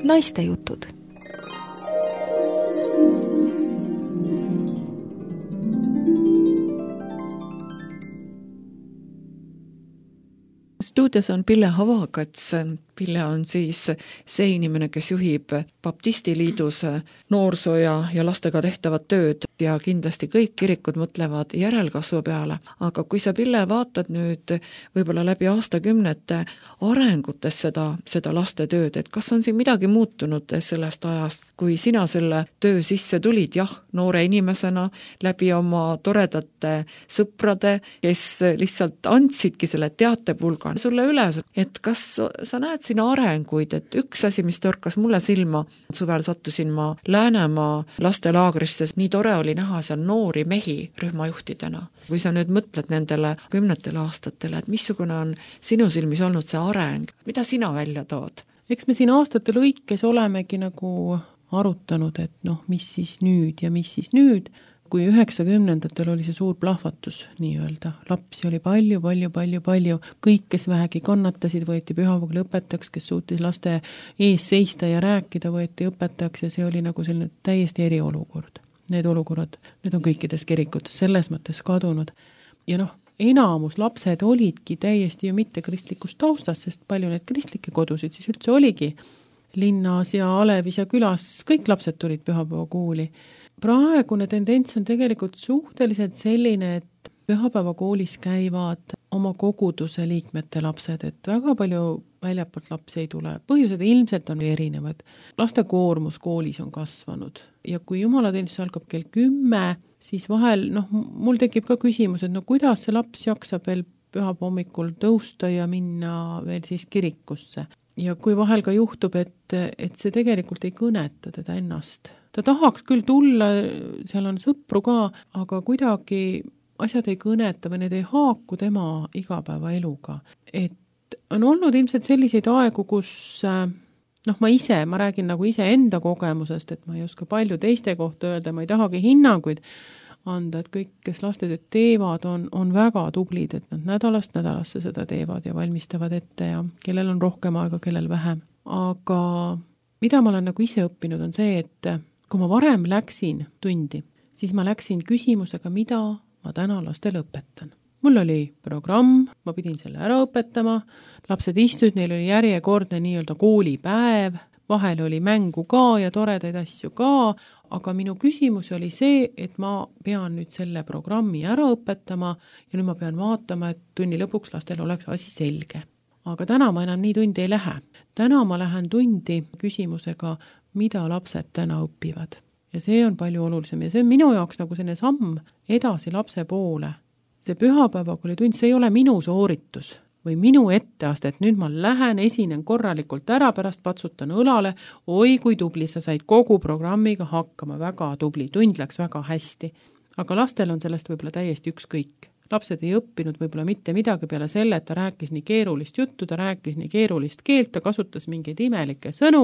Naiste jutud. Stuudios on Pille Havakats. Pille on siis see inimene, kes juhib Baptistiliidus noorsoo ja lastega tehtavat tööd ja kindlasti kõik kirikud mõtlevad järelkasvu peale. Aga kui sa, Pille, vaatad nüüd võib-olla läbi aastakümnete arengutes seda laste tööd, et kas on siin midagi muutunud sellest ajast, kui sina selle töö sisse tulid, jah, noore inimesena läbi oma toredate sõprade, kes lihtsalt andsidki selle teatepulga sulle üle, et kas sa näed siin arenguid, et üks asi, mis torkas mulle silma, suvel sattusin ma Läänemaa lastelaagrisse, nii tore oli näha seal noori mehi rühmajuhtidena. Kui sa nüüd mõtled nendele 10 aastatele, et missugune on sinu silmis olnud see areng, mida sina välja tood? Eks me siin aastate lõikes olemegi nagu arutanud, et mis siis nüüd ja mis siis nüüd. Kui 90-ndatel oli see suur plahvatus nii-öelda, lapsi oli palju, kõik, kes vähegi kannatasid, võeti pühapäeval õpetajaks, kes suutis laste ees seista ja rääkida, võeti õpetajaks ja see oli nagu selline täiesti eriolukord. Need olukorrad, need on kõikides kirikutes selles mõttes kadunud. Ja enamus lapsed olidki täiesti ju mitte kristlikust taustast, sest palju need kristlikke kodusid siis üldse oligi. Linnas ja Alevis ja külas kõik lapsed tulid pühapäevakooli. Praegune tendents on tegelikult suhteliselt selline, et pühapäevakoolis käivad oma koguduse liikmete lapsed, et väga palju väljapoolt lapsi ei tule. Põhjused ilmselt on erinevad. Laste koormus koolis on kasvanud ja kui jumalateenistus algab kell 10, siis vahel, mul tekib ka küsimus, et kuidas see laps jaksab veel pühapäeva hommikul tõusta ja minna veel siis kirikusse. Ja kui vahel ka juhtub, et see tegelikult ei kõneta teda ennast. Ta tahaks küll tulla, seal on sõpru ka, aga kuidagi asjad ei kõneta või need ei haaku tema igapäevaeluga. Et on olnud ilmselt selliseid aegu, kus ma räägin nagu ise enda kogemusest, et ma ei oska palju teiste kohta öelda, ma ei tahagi hinnanguid anda, et kõik, kes lastetööd teevad, on väga tublid, et nad nädalast nädalasse seda teevad ja valmistavad ette ja kellel on rohkem aega, kellel vähem. Aga mida ma olen nagu ise õppinud, on see, et kui ma varem läksin tundi, siis ma läksin küsimusega, mida ma täna lastele õpetan. Mul oli programm, ma pidin selle ära õpetama, lapsed istusid, neil oli järjekordne nii-öelda koolipäev, vahel oli mängu ka ja toredaid asju ka, aga minu küsimus oli see, et ma pean nüüd selle programmi ära õpetama ja nüüd ma pean vaatama, et tunni lõpuks lastel oleks asi selge. Aga täna ma enam nii tundi ei lähe. Täna ma lähen tundi küsimusega, mida lapsed täna õpivad. Ja see on palju olulisem ja see on minu jaoks nagu selline samm edasi lapse poole. See pühapäevakoolitund, see ei ole minu sooritus või minu etteaste, et nüüd ma lähen, esinen korralikult ära, pärast patsutan õlale, oi kui tubli, sa said kogu programmiga hakkama, väga tubli, tund läks väga hästi. Aga lastel on sellest võib-olla täiesti ükskõik. Lapsed ei õppinud võib-olla mitte midagi peale selle, et ta rääkis nii keerulist juttu, ta rääkis nii keerulist keelt, ta kasutas mingeid imelikke sõnu,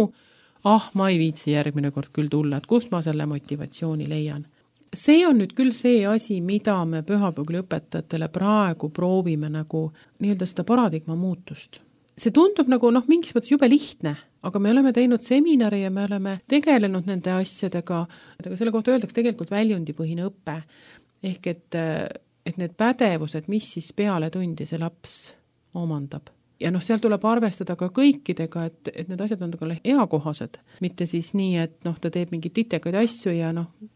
ma ei viitsi järgmine kord küll tulla, et kust ma selle motivatsiooni leian. See on nüüd küll see asi, mida me pühapäevakooli õpetajatele praegu proovime nagu nii-öelda seda paradigma muutust. See tundub nagu mingis mõttes jube lihtne, aga me oleme teinud seminari ja me oleme tegelenud nende asjadega, selle kohta öeldakse tegelikult väljundipõhine õpe, ehk et need pädevused, mis siis peale tundi see laps omandab. Ja seal tuleb arvestada ka kõikidega, et need asjad on ka eakohased, mitte siis nii, et ta teeb mingeid titekaid asju ja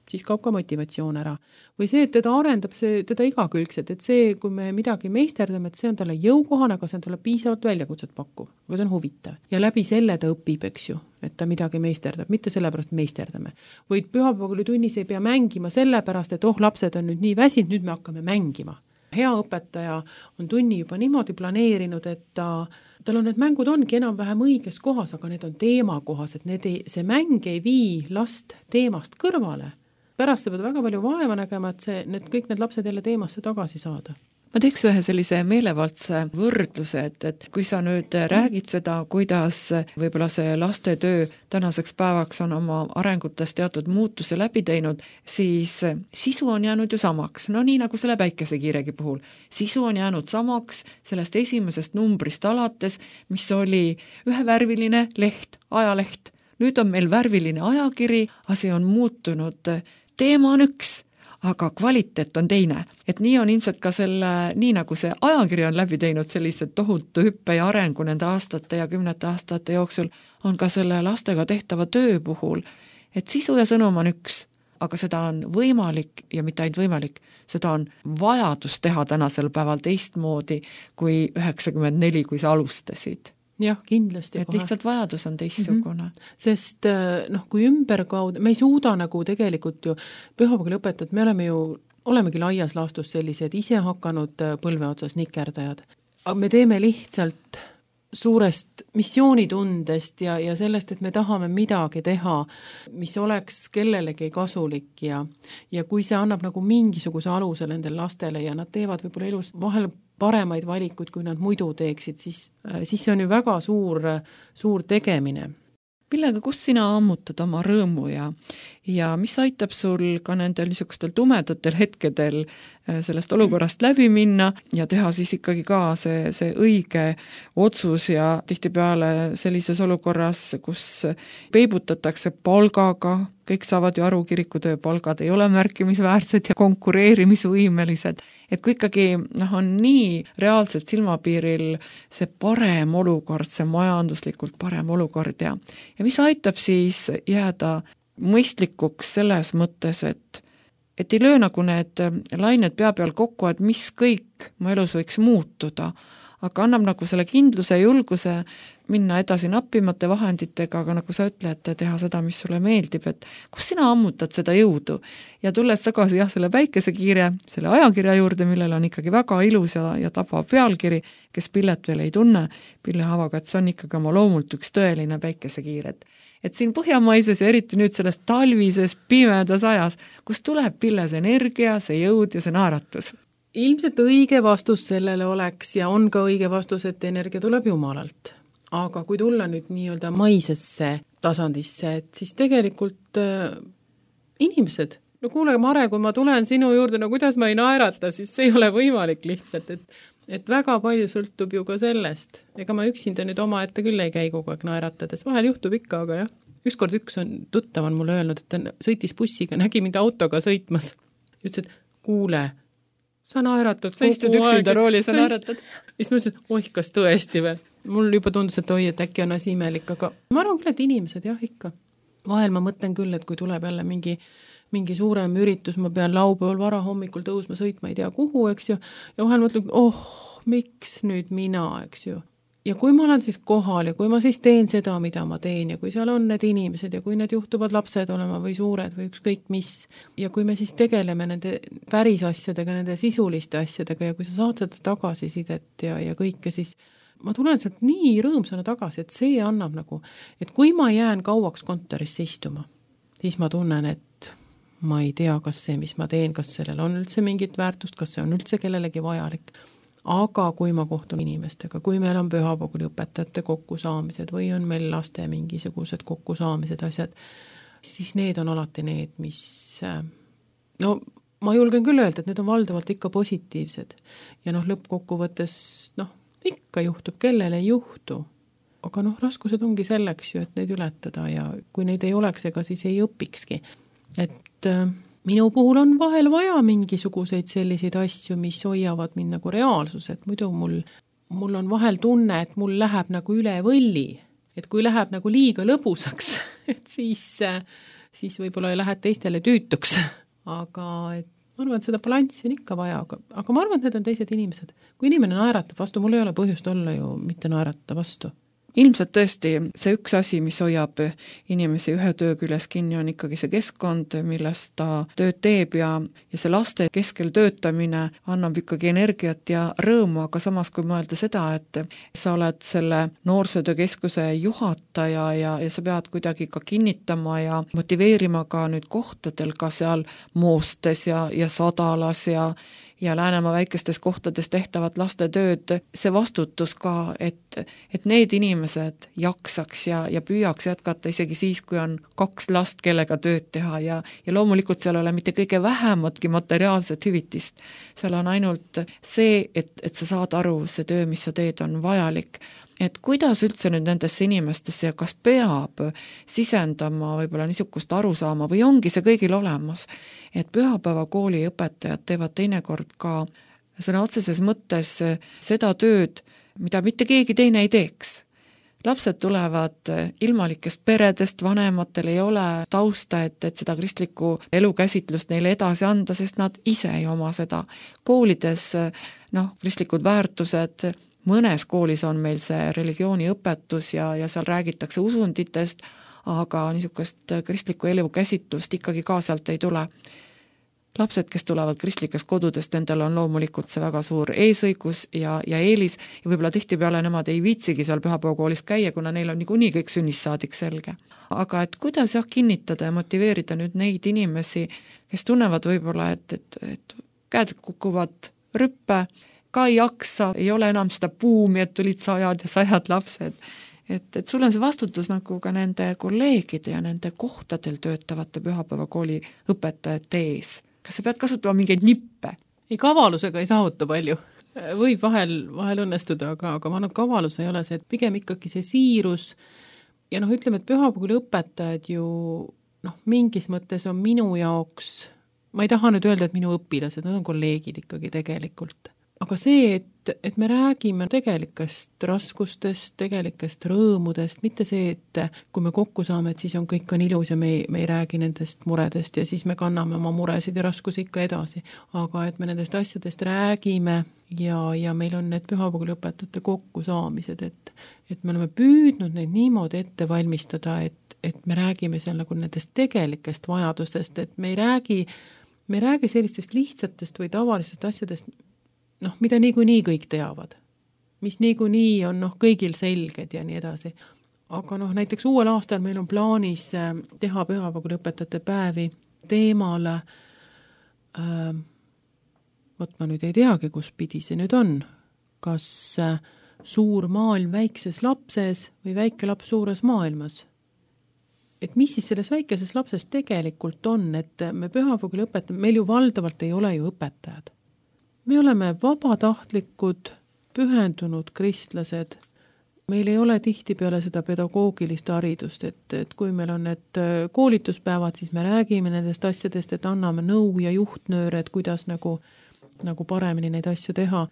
siis kaob ka motivatsioon ära. Või see, et teda arendab teda igakülgselt, et see, kui me midagi meisterdame, et see on talle jõukohane, aga see on talle piisavalt väljakutset pakkuv, aga see on huvitav. Ja läbi selle ta õpib, eks ju, et ta midagi meisterdab, mitte sellepärast meisterdame. Või pühapäevakoolitunnis ei pea mängima sellepärast, et lapsed on nüüd nii väsinud, nüüd me hakkame mängima. Hea õpetaja on tunni juba niimoodi planeerinud, et tal on need mängud ongi enam-vähem õiges kohas, aga need on teemakohas, et see mäng ei vii last teemast kõrvale. Pärast sa pead väga palju vaeva nägema, et kõik need lapsed jälle teemasse tagasi saada. ma teeks ühe sellise meelevaldse võrdluse, et kui sa nüüd räägid seda, kuidas võib-olla see lastetöö tänaseks päevaks on oma arengutes teatud muutuse läbi teinud, siis sisu on jäänud ju samaks, no nii nagu selle päikesekiiregi puhul. Sisu on jäänud samaks sellest esimesest numbrist alates, mis oli ühevärviline leht, ajaleht. Nüüd on meil värviline ajakiri, asi on muutunud, teema on üks, aga kvaliteet on teine. Et nii on ilmselt ka selle, nii nagu see ajakiri on läbi teinud sellise tohutu hüppe ja arengu nende aastate ja 10 aastate jooksul, on ka selle lastega tehtava töö puhul, et sisu ja sõnum on üks, aga seda on võimalik ja mitte ainult võimalik, seda on vajadus teha tänasel päeval teistmoodi kui 94, kui sa alustasid. Jah, kindlasti. Et lihtsalt vajadus on teistsugune. Sest kui ümberkaudu, me ei suuda nagu tegelikult ju pühapäeval õpetajad, me olemegi laias laastus sellised ise hakanud põlve otsas nikerdajad. Aga me teeme lihtsalt suurest missioonitundest ja sellest, et me tahame midagi teha, mis oleks kellelegi kasulik ja kui see annab nagu mingisuguse aluse nendel lastele ja nad teevad võib-olla elus vahel paremaid valikuid, kui nad muidu teeksid, siis see on ju väga suur tegemine. Millega, kus sina ammutad oma rõõmu ja mis aitab sul ka nendel niisugustel tumedatel hetkedel sellest olukorrast läbi minna ja teha siis ikkagi ka see õige otsus ja tihtipeale sellises olukorras, kus peibutatakse palgaga, kõik saavad ju aru, kirikutöö palgad ei ole märkimisväärsed ja konkureerimisvõimelised, et kui ikkagi on nii reaalselt silmapiiril see parem olukord, see majanduslikult parem olukord ja mis aitab siis jääda mõistlikuks selles mõttes, et ei löö nagu need lained pea peal kokku, et mis kõik mu elus võiks muutuda, aga annab nagu selle kindluse ja julguse minna edasi nappimate vahenditega, aga nagu sa ütled, teha seda, mis sulle meeldib, et kus sina ammutad seda jõudu ja tulles tagasi selle päikesekiire, selle ajakirja juurde, millel on ikkagi väga ilus ja tabav pealkiri, kes Pillet veel ei tunne, Pille Havaga, et see on ikkagi oma loomult üks tõeline päikesekiir, et siin põhjamaises ja eriti nüüd selles talvises pimedas ajas, kus tuleb Pille see energia, see jõud ja see naeratus? Ilmselt õige vastus sellele oleks ja on ka õige vastus, et energia tuleb Jumalalt. Aga kui tulla nüüd nii-öelda maisesse tasandisse, et siis tegelikult inimesed, no kuule, Mare, kui ma tulen sinu juurde, no kuidas ma ei naerata, siis see ei ole võimalik lihtsalt, et väga palju sõltub ju ka sellest. Ega ma üksinda nüüd oma ette küll ei käi kogu aeg naeratades, vahel juhtub ikka, aga jah. Ükskord üks tuttav on mulle öelnud, et ta sõitis bussiga, nägi mind autoga sõitmas. Ütles, et kuule, sa naeratad sa istud üksinda rooli, sa naeratad. Siis ma ütlesin, et kas tõesti või? Mul juba tundus, et et äkki on asi imelik, aga ma arvan küll, et inimesed jah ikka. Vahel ma mõtlen küll, et kui tuleb jälle mingi suurem üritus, ma pean laupäeval vara hommikul tõusma sõitma, ei tea kuhu, eks ju, ja vahel mõtlen, miks nüüd mina, eks ju. Ja kui ma olen siis kohal ja kui ma siis teen seda, mida ma teen ja kui seal on need inimesed ja kui need juhtuvad lapsed olema või suured või ükskõik mis ja kui me siis tegeleme nende päris asjadega, nende sisuliste asjadega ja kui sa saad seda tagasisidet ja kõike, siis ma tulen sealt nii rõõmsana tagasi, et see annab nagu, et kui ma jään kauaks kontorisse istuma, siis ma tunnen, et ma ei tea, kas see, mis ma teen, kas sellel on üldse mingit väärtust, kas see on üldse kellelegi vajalik. Aga kui ma kohtun inimestega, kui meil on pühapäeval õpetajate kokkusaamised või on meil laste mingisugused kokkusaamised asjad, siis need on alati need, mis, no ma julgen küll öelda, et need on valdavalt ikka positiivsed. Ja lõppkokkuvõttes, ikka juhtub, kellel ei juhtu. Aga raskused ongi selleks ju, et neid ületada ja kui neid ei oleks, ega siis ei õpikski. Et minu puhul on vahel vaja mingisuguseid selliseid asju, mis hoiavad mind nagu reaalsus, et muidu mul on vahel tunne, et mul läheb nagu üle võlli, et kui läheb nagu liiga lõbusaks, et siis võib-olla lähed teistele tüütuks, aga ma arvan, et seda balanssi on ikka vaja, aga ma arvan, et need on teised inimesed. Kui inimene naeratab vastu, mul ei ole põhjust olla ju mitte naerata vastu. Ilmselt tõesti see üks asi, mis hoiab inimesi ühe töö küljes kinni, on ikkagi see keskkond, milles ta tööd teeb ja see laste keskel töötamine annab ikkagi energiat ja rõõmu, aga samas kui mõelda seda, et sa oled selle noorsootöökeskuse juhataja ja sa pead kuidagi ka kinnitama ja motiveerima ka nüüd kohtadel ka seal Moostes ja Sadalas ja Läänemaa väikestes kohtades tehtavat lastetööd, see vastutus ka, et need inimesed jaksaks ja püüaks jätkata isegi siis, kui on 2 last, kellega tööd teha ja loomulikult seal ei ole mitte kõige vähematki materiaalset hüvitist. Seal on ainult see, et sa saad aru, see töö, mis sa teed, on vajalik. Et kuidas üldse nüüd nendesse inimestesse ja kas peab sisendama võib-olla niisugust arusaama või ongi see kõigil olemas, et pühapäevakooli õpetajad teevad teinekord ka sõna otseses mõttes seda tööd, mida mitte keegi teine ei teeks. Lapsed tulevad ilmalikest peredest, vanematel ei ole tausta, et seda kristlikku elukäsitlust neile edasi anda, sest nad ise ei oma seda. Koolides kristlikud väärtused, mõnes koolis on meil see religiooniõpetus ja seal räägitakse usunditest, aga niisugust kristlikku elukäsitlust ikkagi ka sealt ei tule. Lapsed, kes tulevad kristlikest kodudest, nendel on loomulikult see väga suur eesõigus ja eelis ja võib-olla tihtipeale nemad ei viitsigi seal pühapäevakoolis käia, kuna neil on niikuinii kõik sünnist saadik selge. Aga et kuidas kinnitada ja motiveerida nüüd neid inimesi, kes tunnevad võib-olla, et käed kukuvad rüppe, ka ei jaksa, ei ole enam seda buumi, et tulid sajad ja sajad lapsed. Et sul on see vastutus nagu ka nende kolleegide ja nende kohtadel töötavate pühapäevakooli õpetajate ees. Kas sa pead kasutama mingeid nippe? Ei, kavalusega ei saavuta palju. Võib vahel õnnestuda, aga ma arvan, et kavalus ei ole see, et pigem ikkagi see siirus ja ütleme, et pühapäevakooli õpetajad ju mingis mõttes on minu jaoks, ma ei taha nüüd öelda, et minu õpilased, nad on kolleegid ikkagi tegelikult. Aga see, et me räägime tegelikest raskustest, tegelikest rõõmudest, mitte see, et kui me kokku saame, et siis on kõik on ilus ja me ei räägi nendest muredest ja siis me kanname oma muresid ja raskusi ikka edasi. Aga et me nendest asjadest räägime ja meil on need pühapäevakooli õpetajate kokkusaamised, et me oleme püüdnud neid niimoodi ette valmistada, et me räägime seal nagu nendest tegelikest vajadustest, et me ei räägi sellistest lihtsatest või tavalistest asjadest, mida niikuinii kõik teavad, mis niikuinii on kõigil selged ja nii edasi. Aga näiteks uuel aastal meil on plaanis teha pühapäevakooli õpetajate päevi teemale, ma nüüd ei teagi, kus pidi see nüüd on, kas suur maailm väikses lapses või väike laps suures maailmas. Et mis siis selles väikeses lapses tegelikult on, et me pühapäevakooli õpetajad, meil ju valdavalt ei ole ju õpetajad. Me oleme vabatahtlikud, pühendunud kristlased. Meil ei ole tihtipeale seda pedagoogilist haridust, et kui meil on need koolituspäevad, siis me räägime nendest asjadest, et anname nõu ja juhtnööre, et kuidas nagu paremini neid asju teha.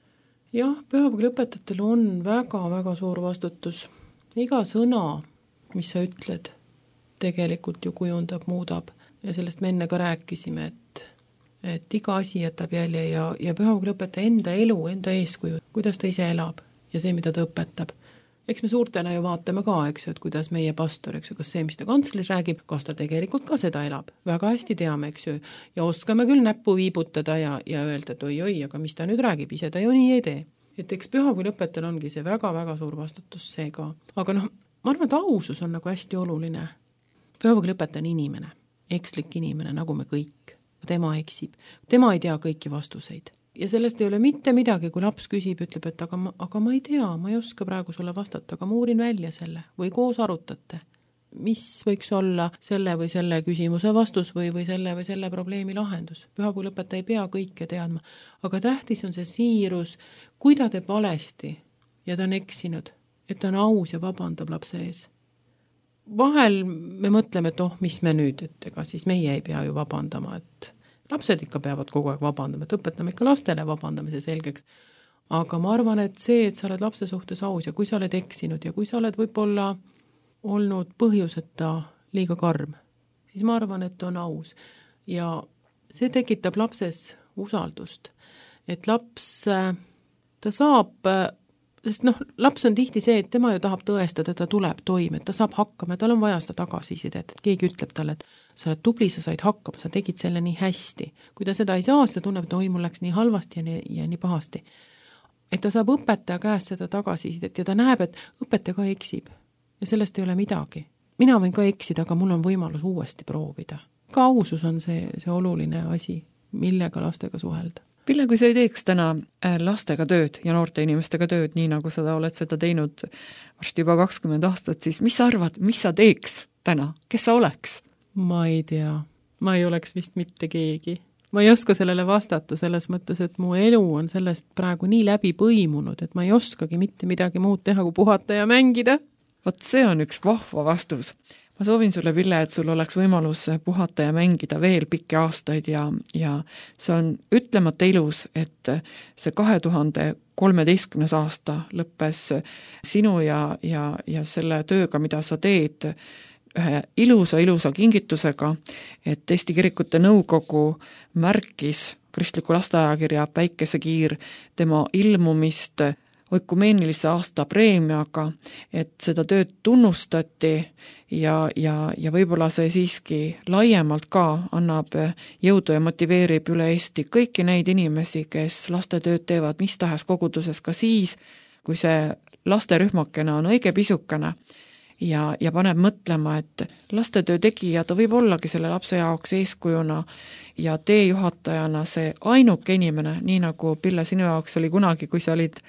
Jah, pühapäevakooli õpetajatel on väga-väga suur vastutus. Iga sõna, mis sa ütled, tegelikult ju kujundab, muudab. Ja sellest me enne ka rääkisime, et iga asi jätab jälje ja pühapäevakooli õpetaja enda elu, enda eeskuju, kuidas ta ise elab ja see, mida ta õpetab. Eks me suurtena ju vaatame ka, eks ju, et kuidas meie pastor, eks ju, kas see, mis ta kantslis räägib, kas ta tegelikult ka seda elab. Väga hästi teame, eks ju, ja oskame küll näppu viibutada ja öelda, et oi, aga mis ta nüüd räägib, ise ta ju nii ei tee. Et eks pühapäevakooli õpetajal ongi see väga-väga suur vastutus see ka. Aga ma arvan, et ausus on nagu hästi oluline. Pühapäevakooli õpetaja on inimene, ekslik inimene, nagu me kõik. Tema eksib. Tema ei tea kõiki vastuseid. Ja sellest ei ole mitte midagi, kui laps küsib, ütleb, et aga ma ei tea, ma ei oska praegu sulle vastata, aga ma uurin välja selle või koos arutate. Mis võiks olla selle või selle küsimuse vastus või selle probleemi lahendus. Pühapäevakooli õpetaja ei pea kõike teadma, aga tähtis on see siirus, kui ta teeb valesti ja ta on eksinud, et ta on aus ja vabandab lapse ees. Vahel me mõtleme, et mis me nüüd, et ega siis meie ei pea ju vabandama, et lapsed ikka peavad kogu aeg vabandama, et õpetame ikka lastele vabandamise selgeks. Aga ma arvan, et see, et sa oled lapse suhtes aus ja kui sa oled eksinud ja kui sa oled võib-olla olnud põhjuseta liiga karm, siis ma arvan, et on aus. Ja see tekitab lapses usaldust, et laps, ta saab sest laps on tihti see, et tema ju tahab tõestada, et ta tuleb toime, et ta saab hakkama, tal on vaja seda tagasisidet, et keegi ütleb talle, et sa oled tubli, sa said hakkama, sa tegid selle nii hästi. Kui ta seda ei saa, siis ta tunneb, et mul läks nii halvasti ja nii pahasti. Et ta saab õpetaja käest seda tagasisidet ja ta näeb, et õpetaja ka eksib ja sellest ei ole midagi. Mina võin ka eksida, aga mul on võimalus uuesti proovida. Ka ausus on see oluline asi, millega lastega suhelda. Pille, kui sa ei teeks täna lastega tööd ja noorte inimestega tööd, nii nagu sa oled seda teinud varsti juba 20 aastat, siis mis sa arvad, mis sa teeks täna? Kes sa oleks? Ma ei tea. Ma ei oleks vist mitte keegi. Ma ei oska sellele vastata selles mõttes, et mu elu on sellest praegu nii läbi põimunud, et ma ei oskagi mitte midagi muud teha, kui puhata ja mängida. Vot see on üks vahva vastus. Ma soovin sulle, Pille, et sul oleks võimalus puhata ja mängida veel pikki aastaid ja see on ütlemata ilus, et see 2013. aasta lõppes sinu ja selle tööga, mida sa teed, ühe ilusa kingitusega, et Eesti Kirikute Nõukogu märkis kristliku lasteajakirja Päikesekiir tema ilmumist oikumeenilise aasta preemiaga, et seda tööd tunnustati ja võib-olla see siiski laiemalt ka annab jõudu ja motiveerib üle Eesti kõiki neid inimesi, kes lastetööd teevad mis tahes koguduses ka siis, kui see lasterühmakene on õige pisukene ja paneb mõtlema, et lastetöö tegija ta võib ollagi selle lapse jaoks eeskujuna ja teejuhatajana see ainuke inimene, nii nagu Pille sinu jaoks oli kunagi, kui sa olid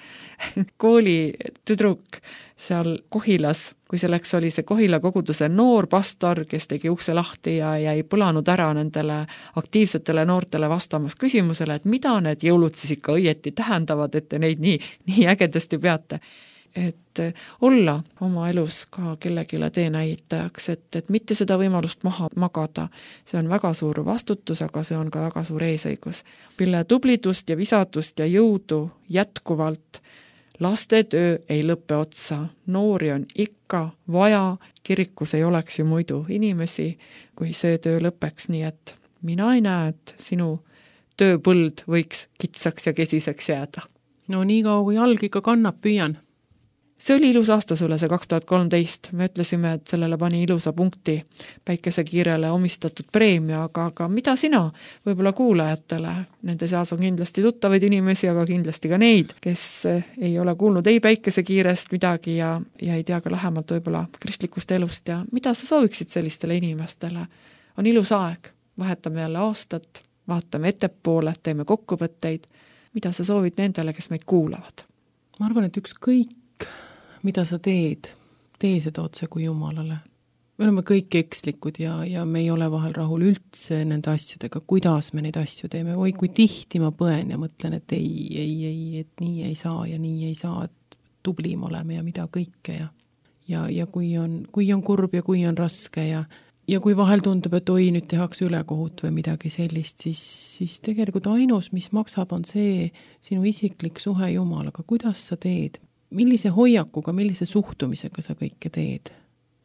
koolitüdruk seal Kohilas, kui selleks oli see Kohila koguduse noor pastor, kes tegi ukse lahti ja jäi põlanud ära nendele aktiivsetele noortele vastamas küsimusele, et mida need jõulud siis ikka õieti tähendavad, et te neid nii ägedasti peate. Et olla oma elus ka kellegile teenäitajaks, et mitte seda võimalust maha magada. See on väga suur vastutus, aga see on ka väga suur eesõigus. Pille, tublidust ja visadust ja jõudu jätkuvalt. Lastetöö ei lõppe otsa. Noori on ikka vaja. Kirikus ei oleks ju muidu inimesi, kui see töö lõpeks, nii et mina ei näe, et sinu tööpõld võiks kitsaks ja kesiseks jääda. No nii kaua, kui jalg ikka kannab, püüan. See oli ilus aasta sulle, see 2013. Me ütlesime, et sellele pani ilusa punkti Päikesekiirele omistatud preemia, aga mida sina võib-olla kuulajatele? Nende seas on kindlasti tuttavaid inimesi, aga kindlasti ka neid, kes ei ole kuulnud ei Päikesekiirest midagi ja ei tea ka lähemalt võib-olla kristlikust elust ja mida sa sooviksid sellistele inimestele? On ilus aeg, vahetame jälle aastat, vaatame ettepoole, teeme kokkuvõtteid. Mida sa soovid nendele, kes meid kuulavad? Ma arvan, et ükskõik mida sa teed, tee seda otse kui Jumalale. Me oleme kõik ekslikud ja me ei ole vahel rahul üldse nende asjadega, kuidas me neid asju teeme. Oi, kui tihti ma põen ja mõtlen, et ei, et nii ei saa ja nii ei saa, et tublim oleme ja mida kõike ja kui on kurb ja kui on raske ja kui vahel tundub, et oi, nüüd tehakse ülekohut või midagi sellist, siis tegelikult ainus, mis maksab, on see sinu isiklik suhe Jumalaga. Kuidas sa teed? Millise hoiakuga, millise suhtumisega sa kõike teed?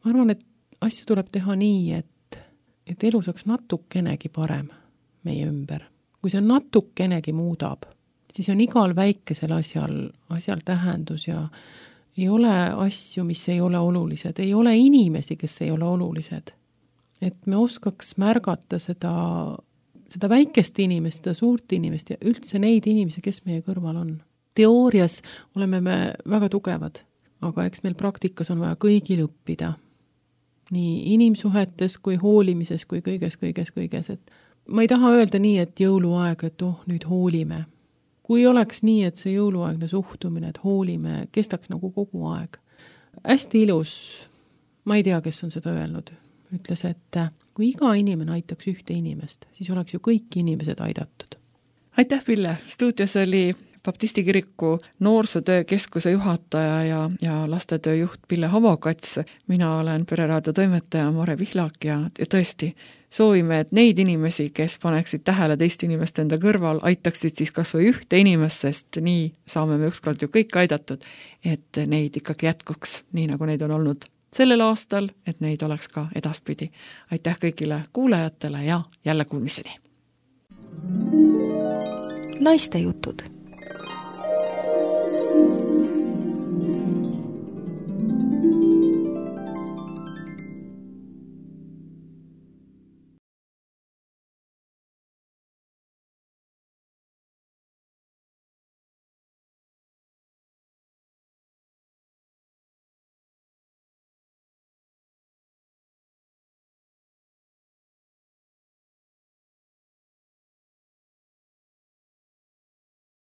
Ma arvan, et asju tuleb teha nii, et elu saaks natukenegi parem meie ümber. Kui see natukenegi muudab, siis on igal väikesel asjal tähendus ja ei ole asju, mis ei ole olulised. Ei ole inimesi, kes ei ole olulised. Et me oskaks märgata seda väikest inimest, seda suurt inimest ja üldse neid inimesi, kes meie kõrval on. Teoorias oleme me väga tugevad, aga eks meil praktikas on vaja kõigil õppida. Nii inimsuhetes kui hoolimises kui kõiges. Et ma ei taha öelda nii, et jõuluaeg, et nüüd hoolime. Kui oleks nii, et see jõuluaegne suhtumine, et hoolime, kestaks nagu kogu aeg. Hästi ilus, ma ei tea, kes on seda öelnud, ütles, et kui iga inimene aitaks ühte inimest, siis oleks ju kõik inimesed aidatud. Aitäh, Pille! Stuudios oli Baptisti kiriku noorsootöö keskuse juhataja ja lastetöö juht Pille Havokats. Mina olen Pereraadio toimetaja Mare Pihlak ja tõesti soovime, et neid inimesi, kes paneksid tähele teist inimest enda kõrval, aitaksid siis kas või ühte inimest, sest nii saame me ükskord ju kõik aidatud, et neid ikkagi jätkuks, nii nagu neid on olnud sellel aastal, et neid oleks ka edaspidi. Aitäh kõigile kuulajatele ja jälle kuulmiseni! Naiste jutud.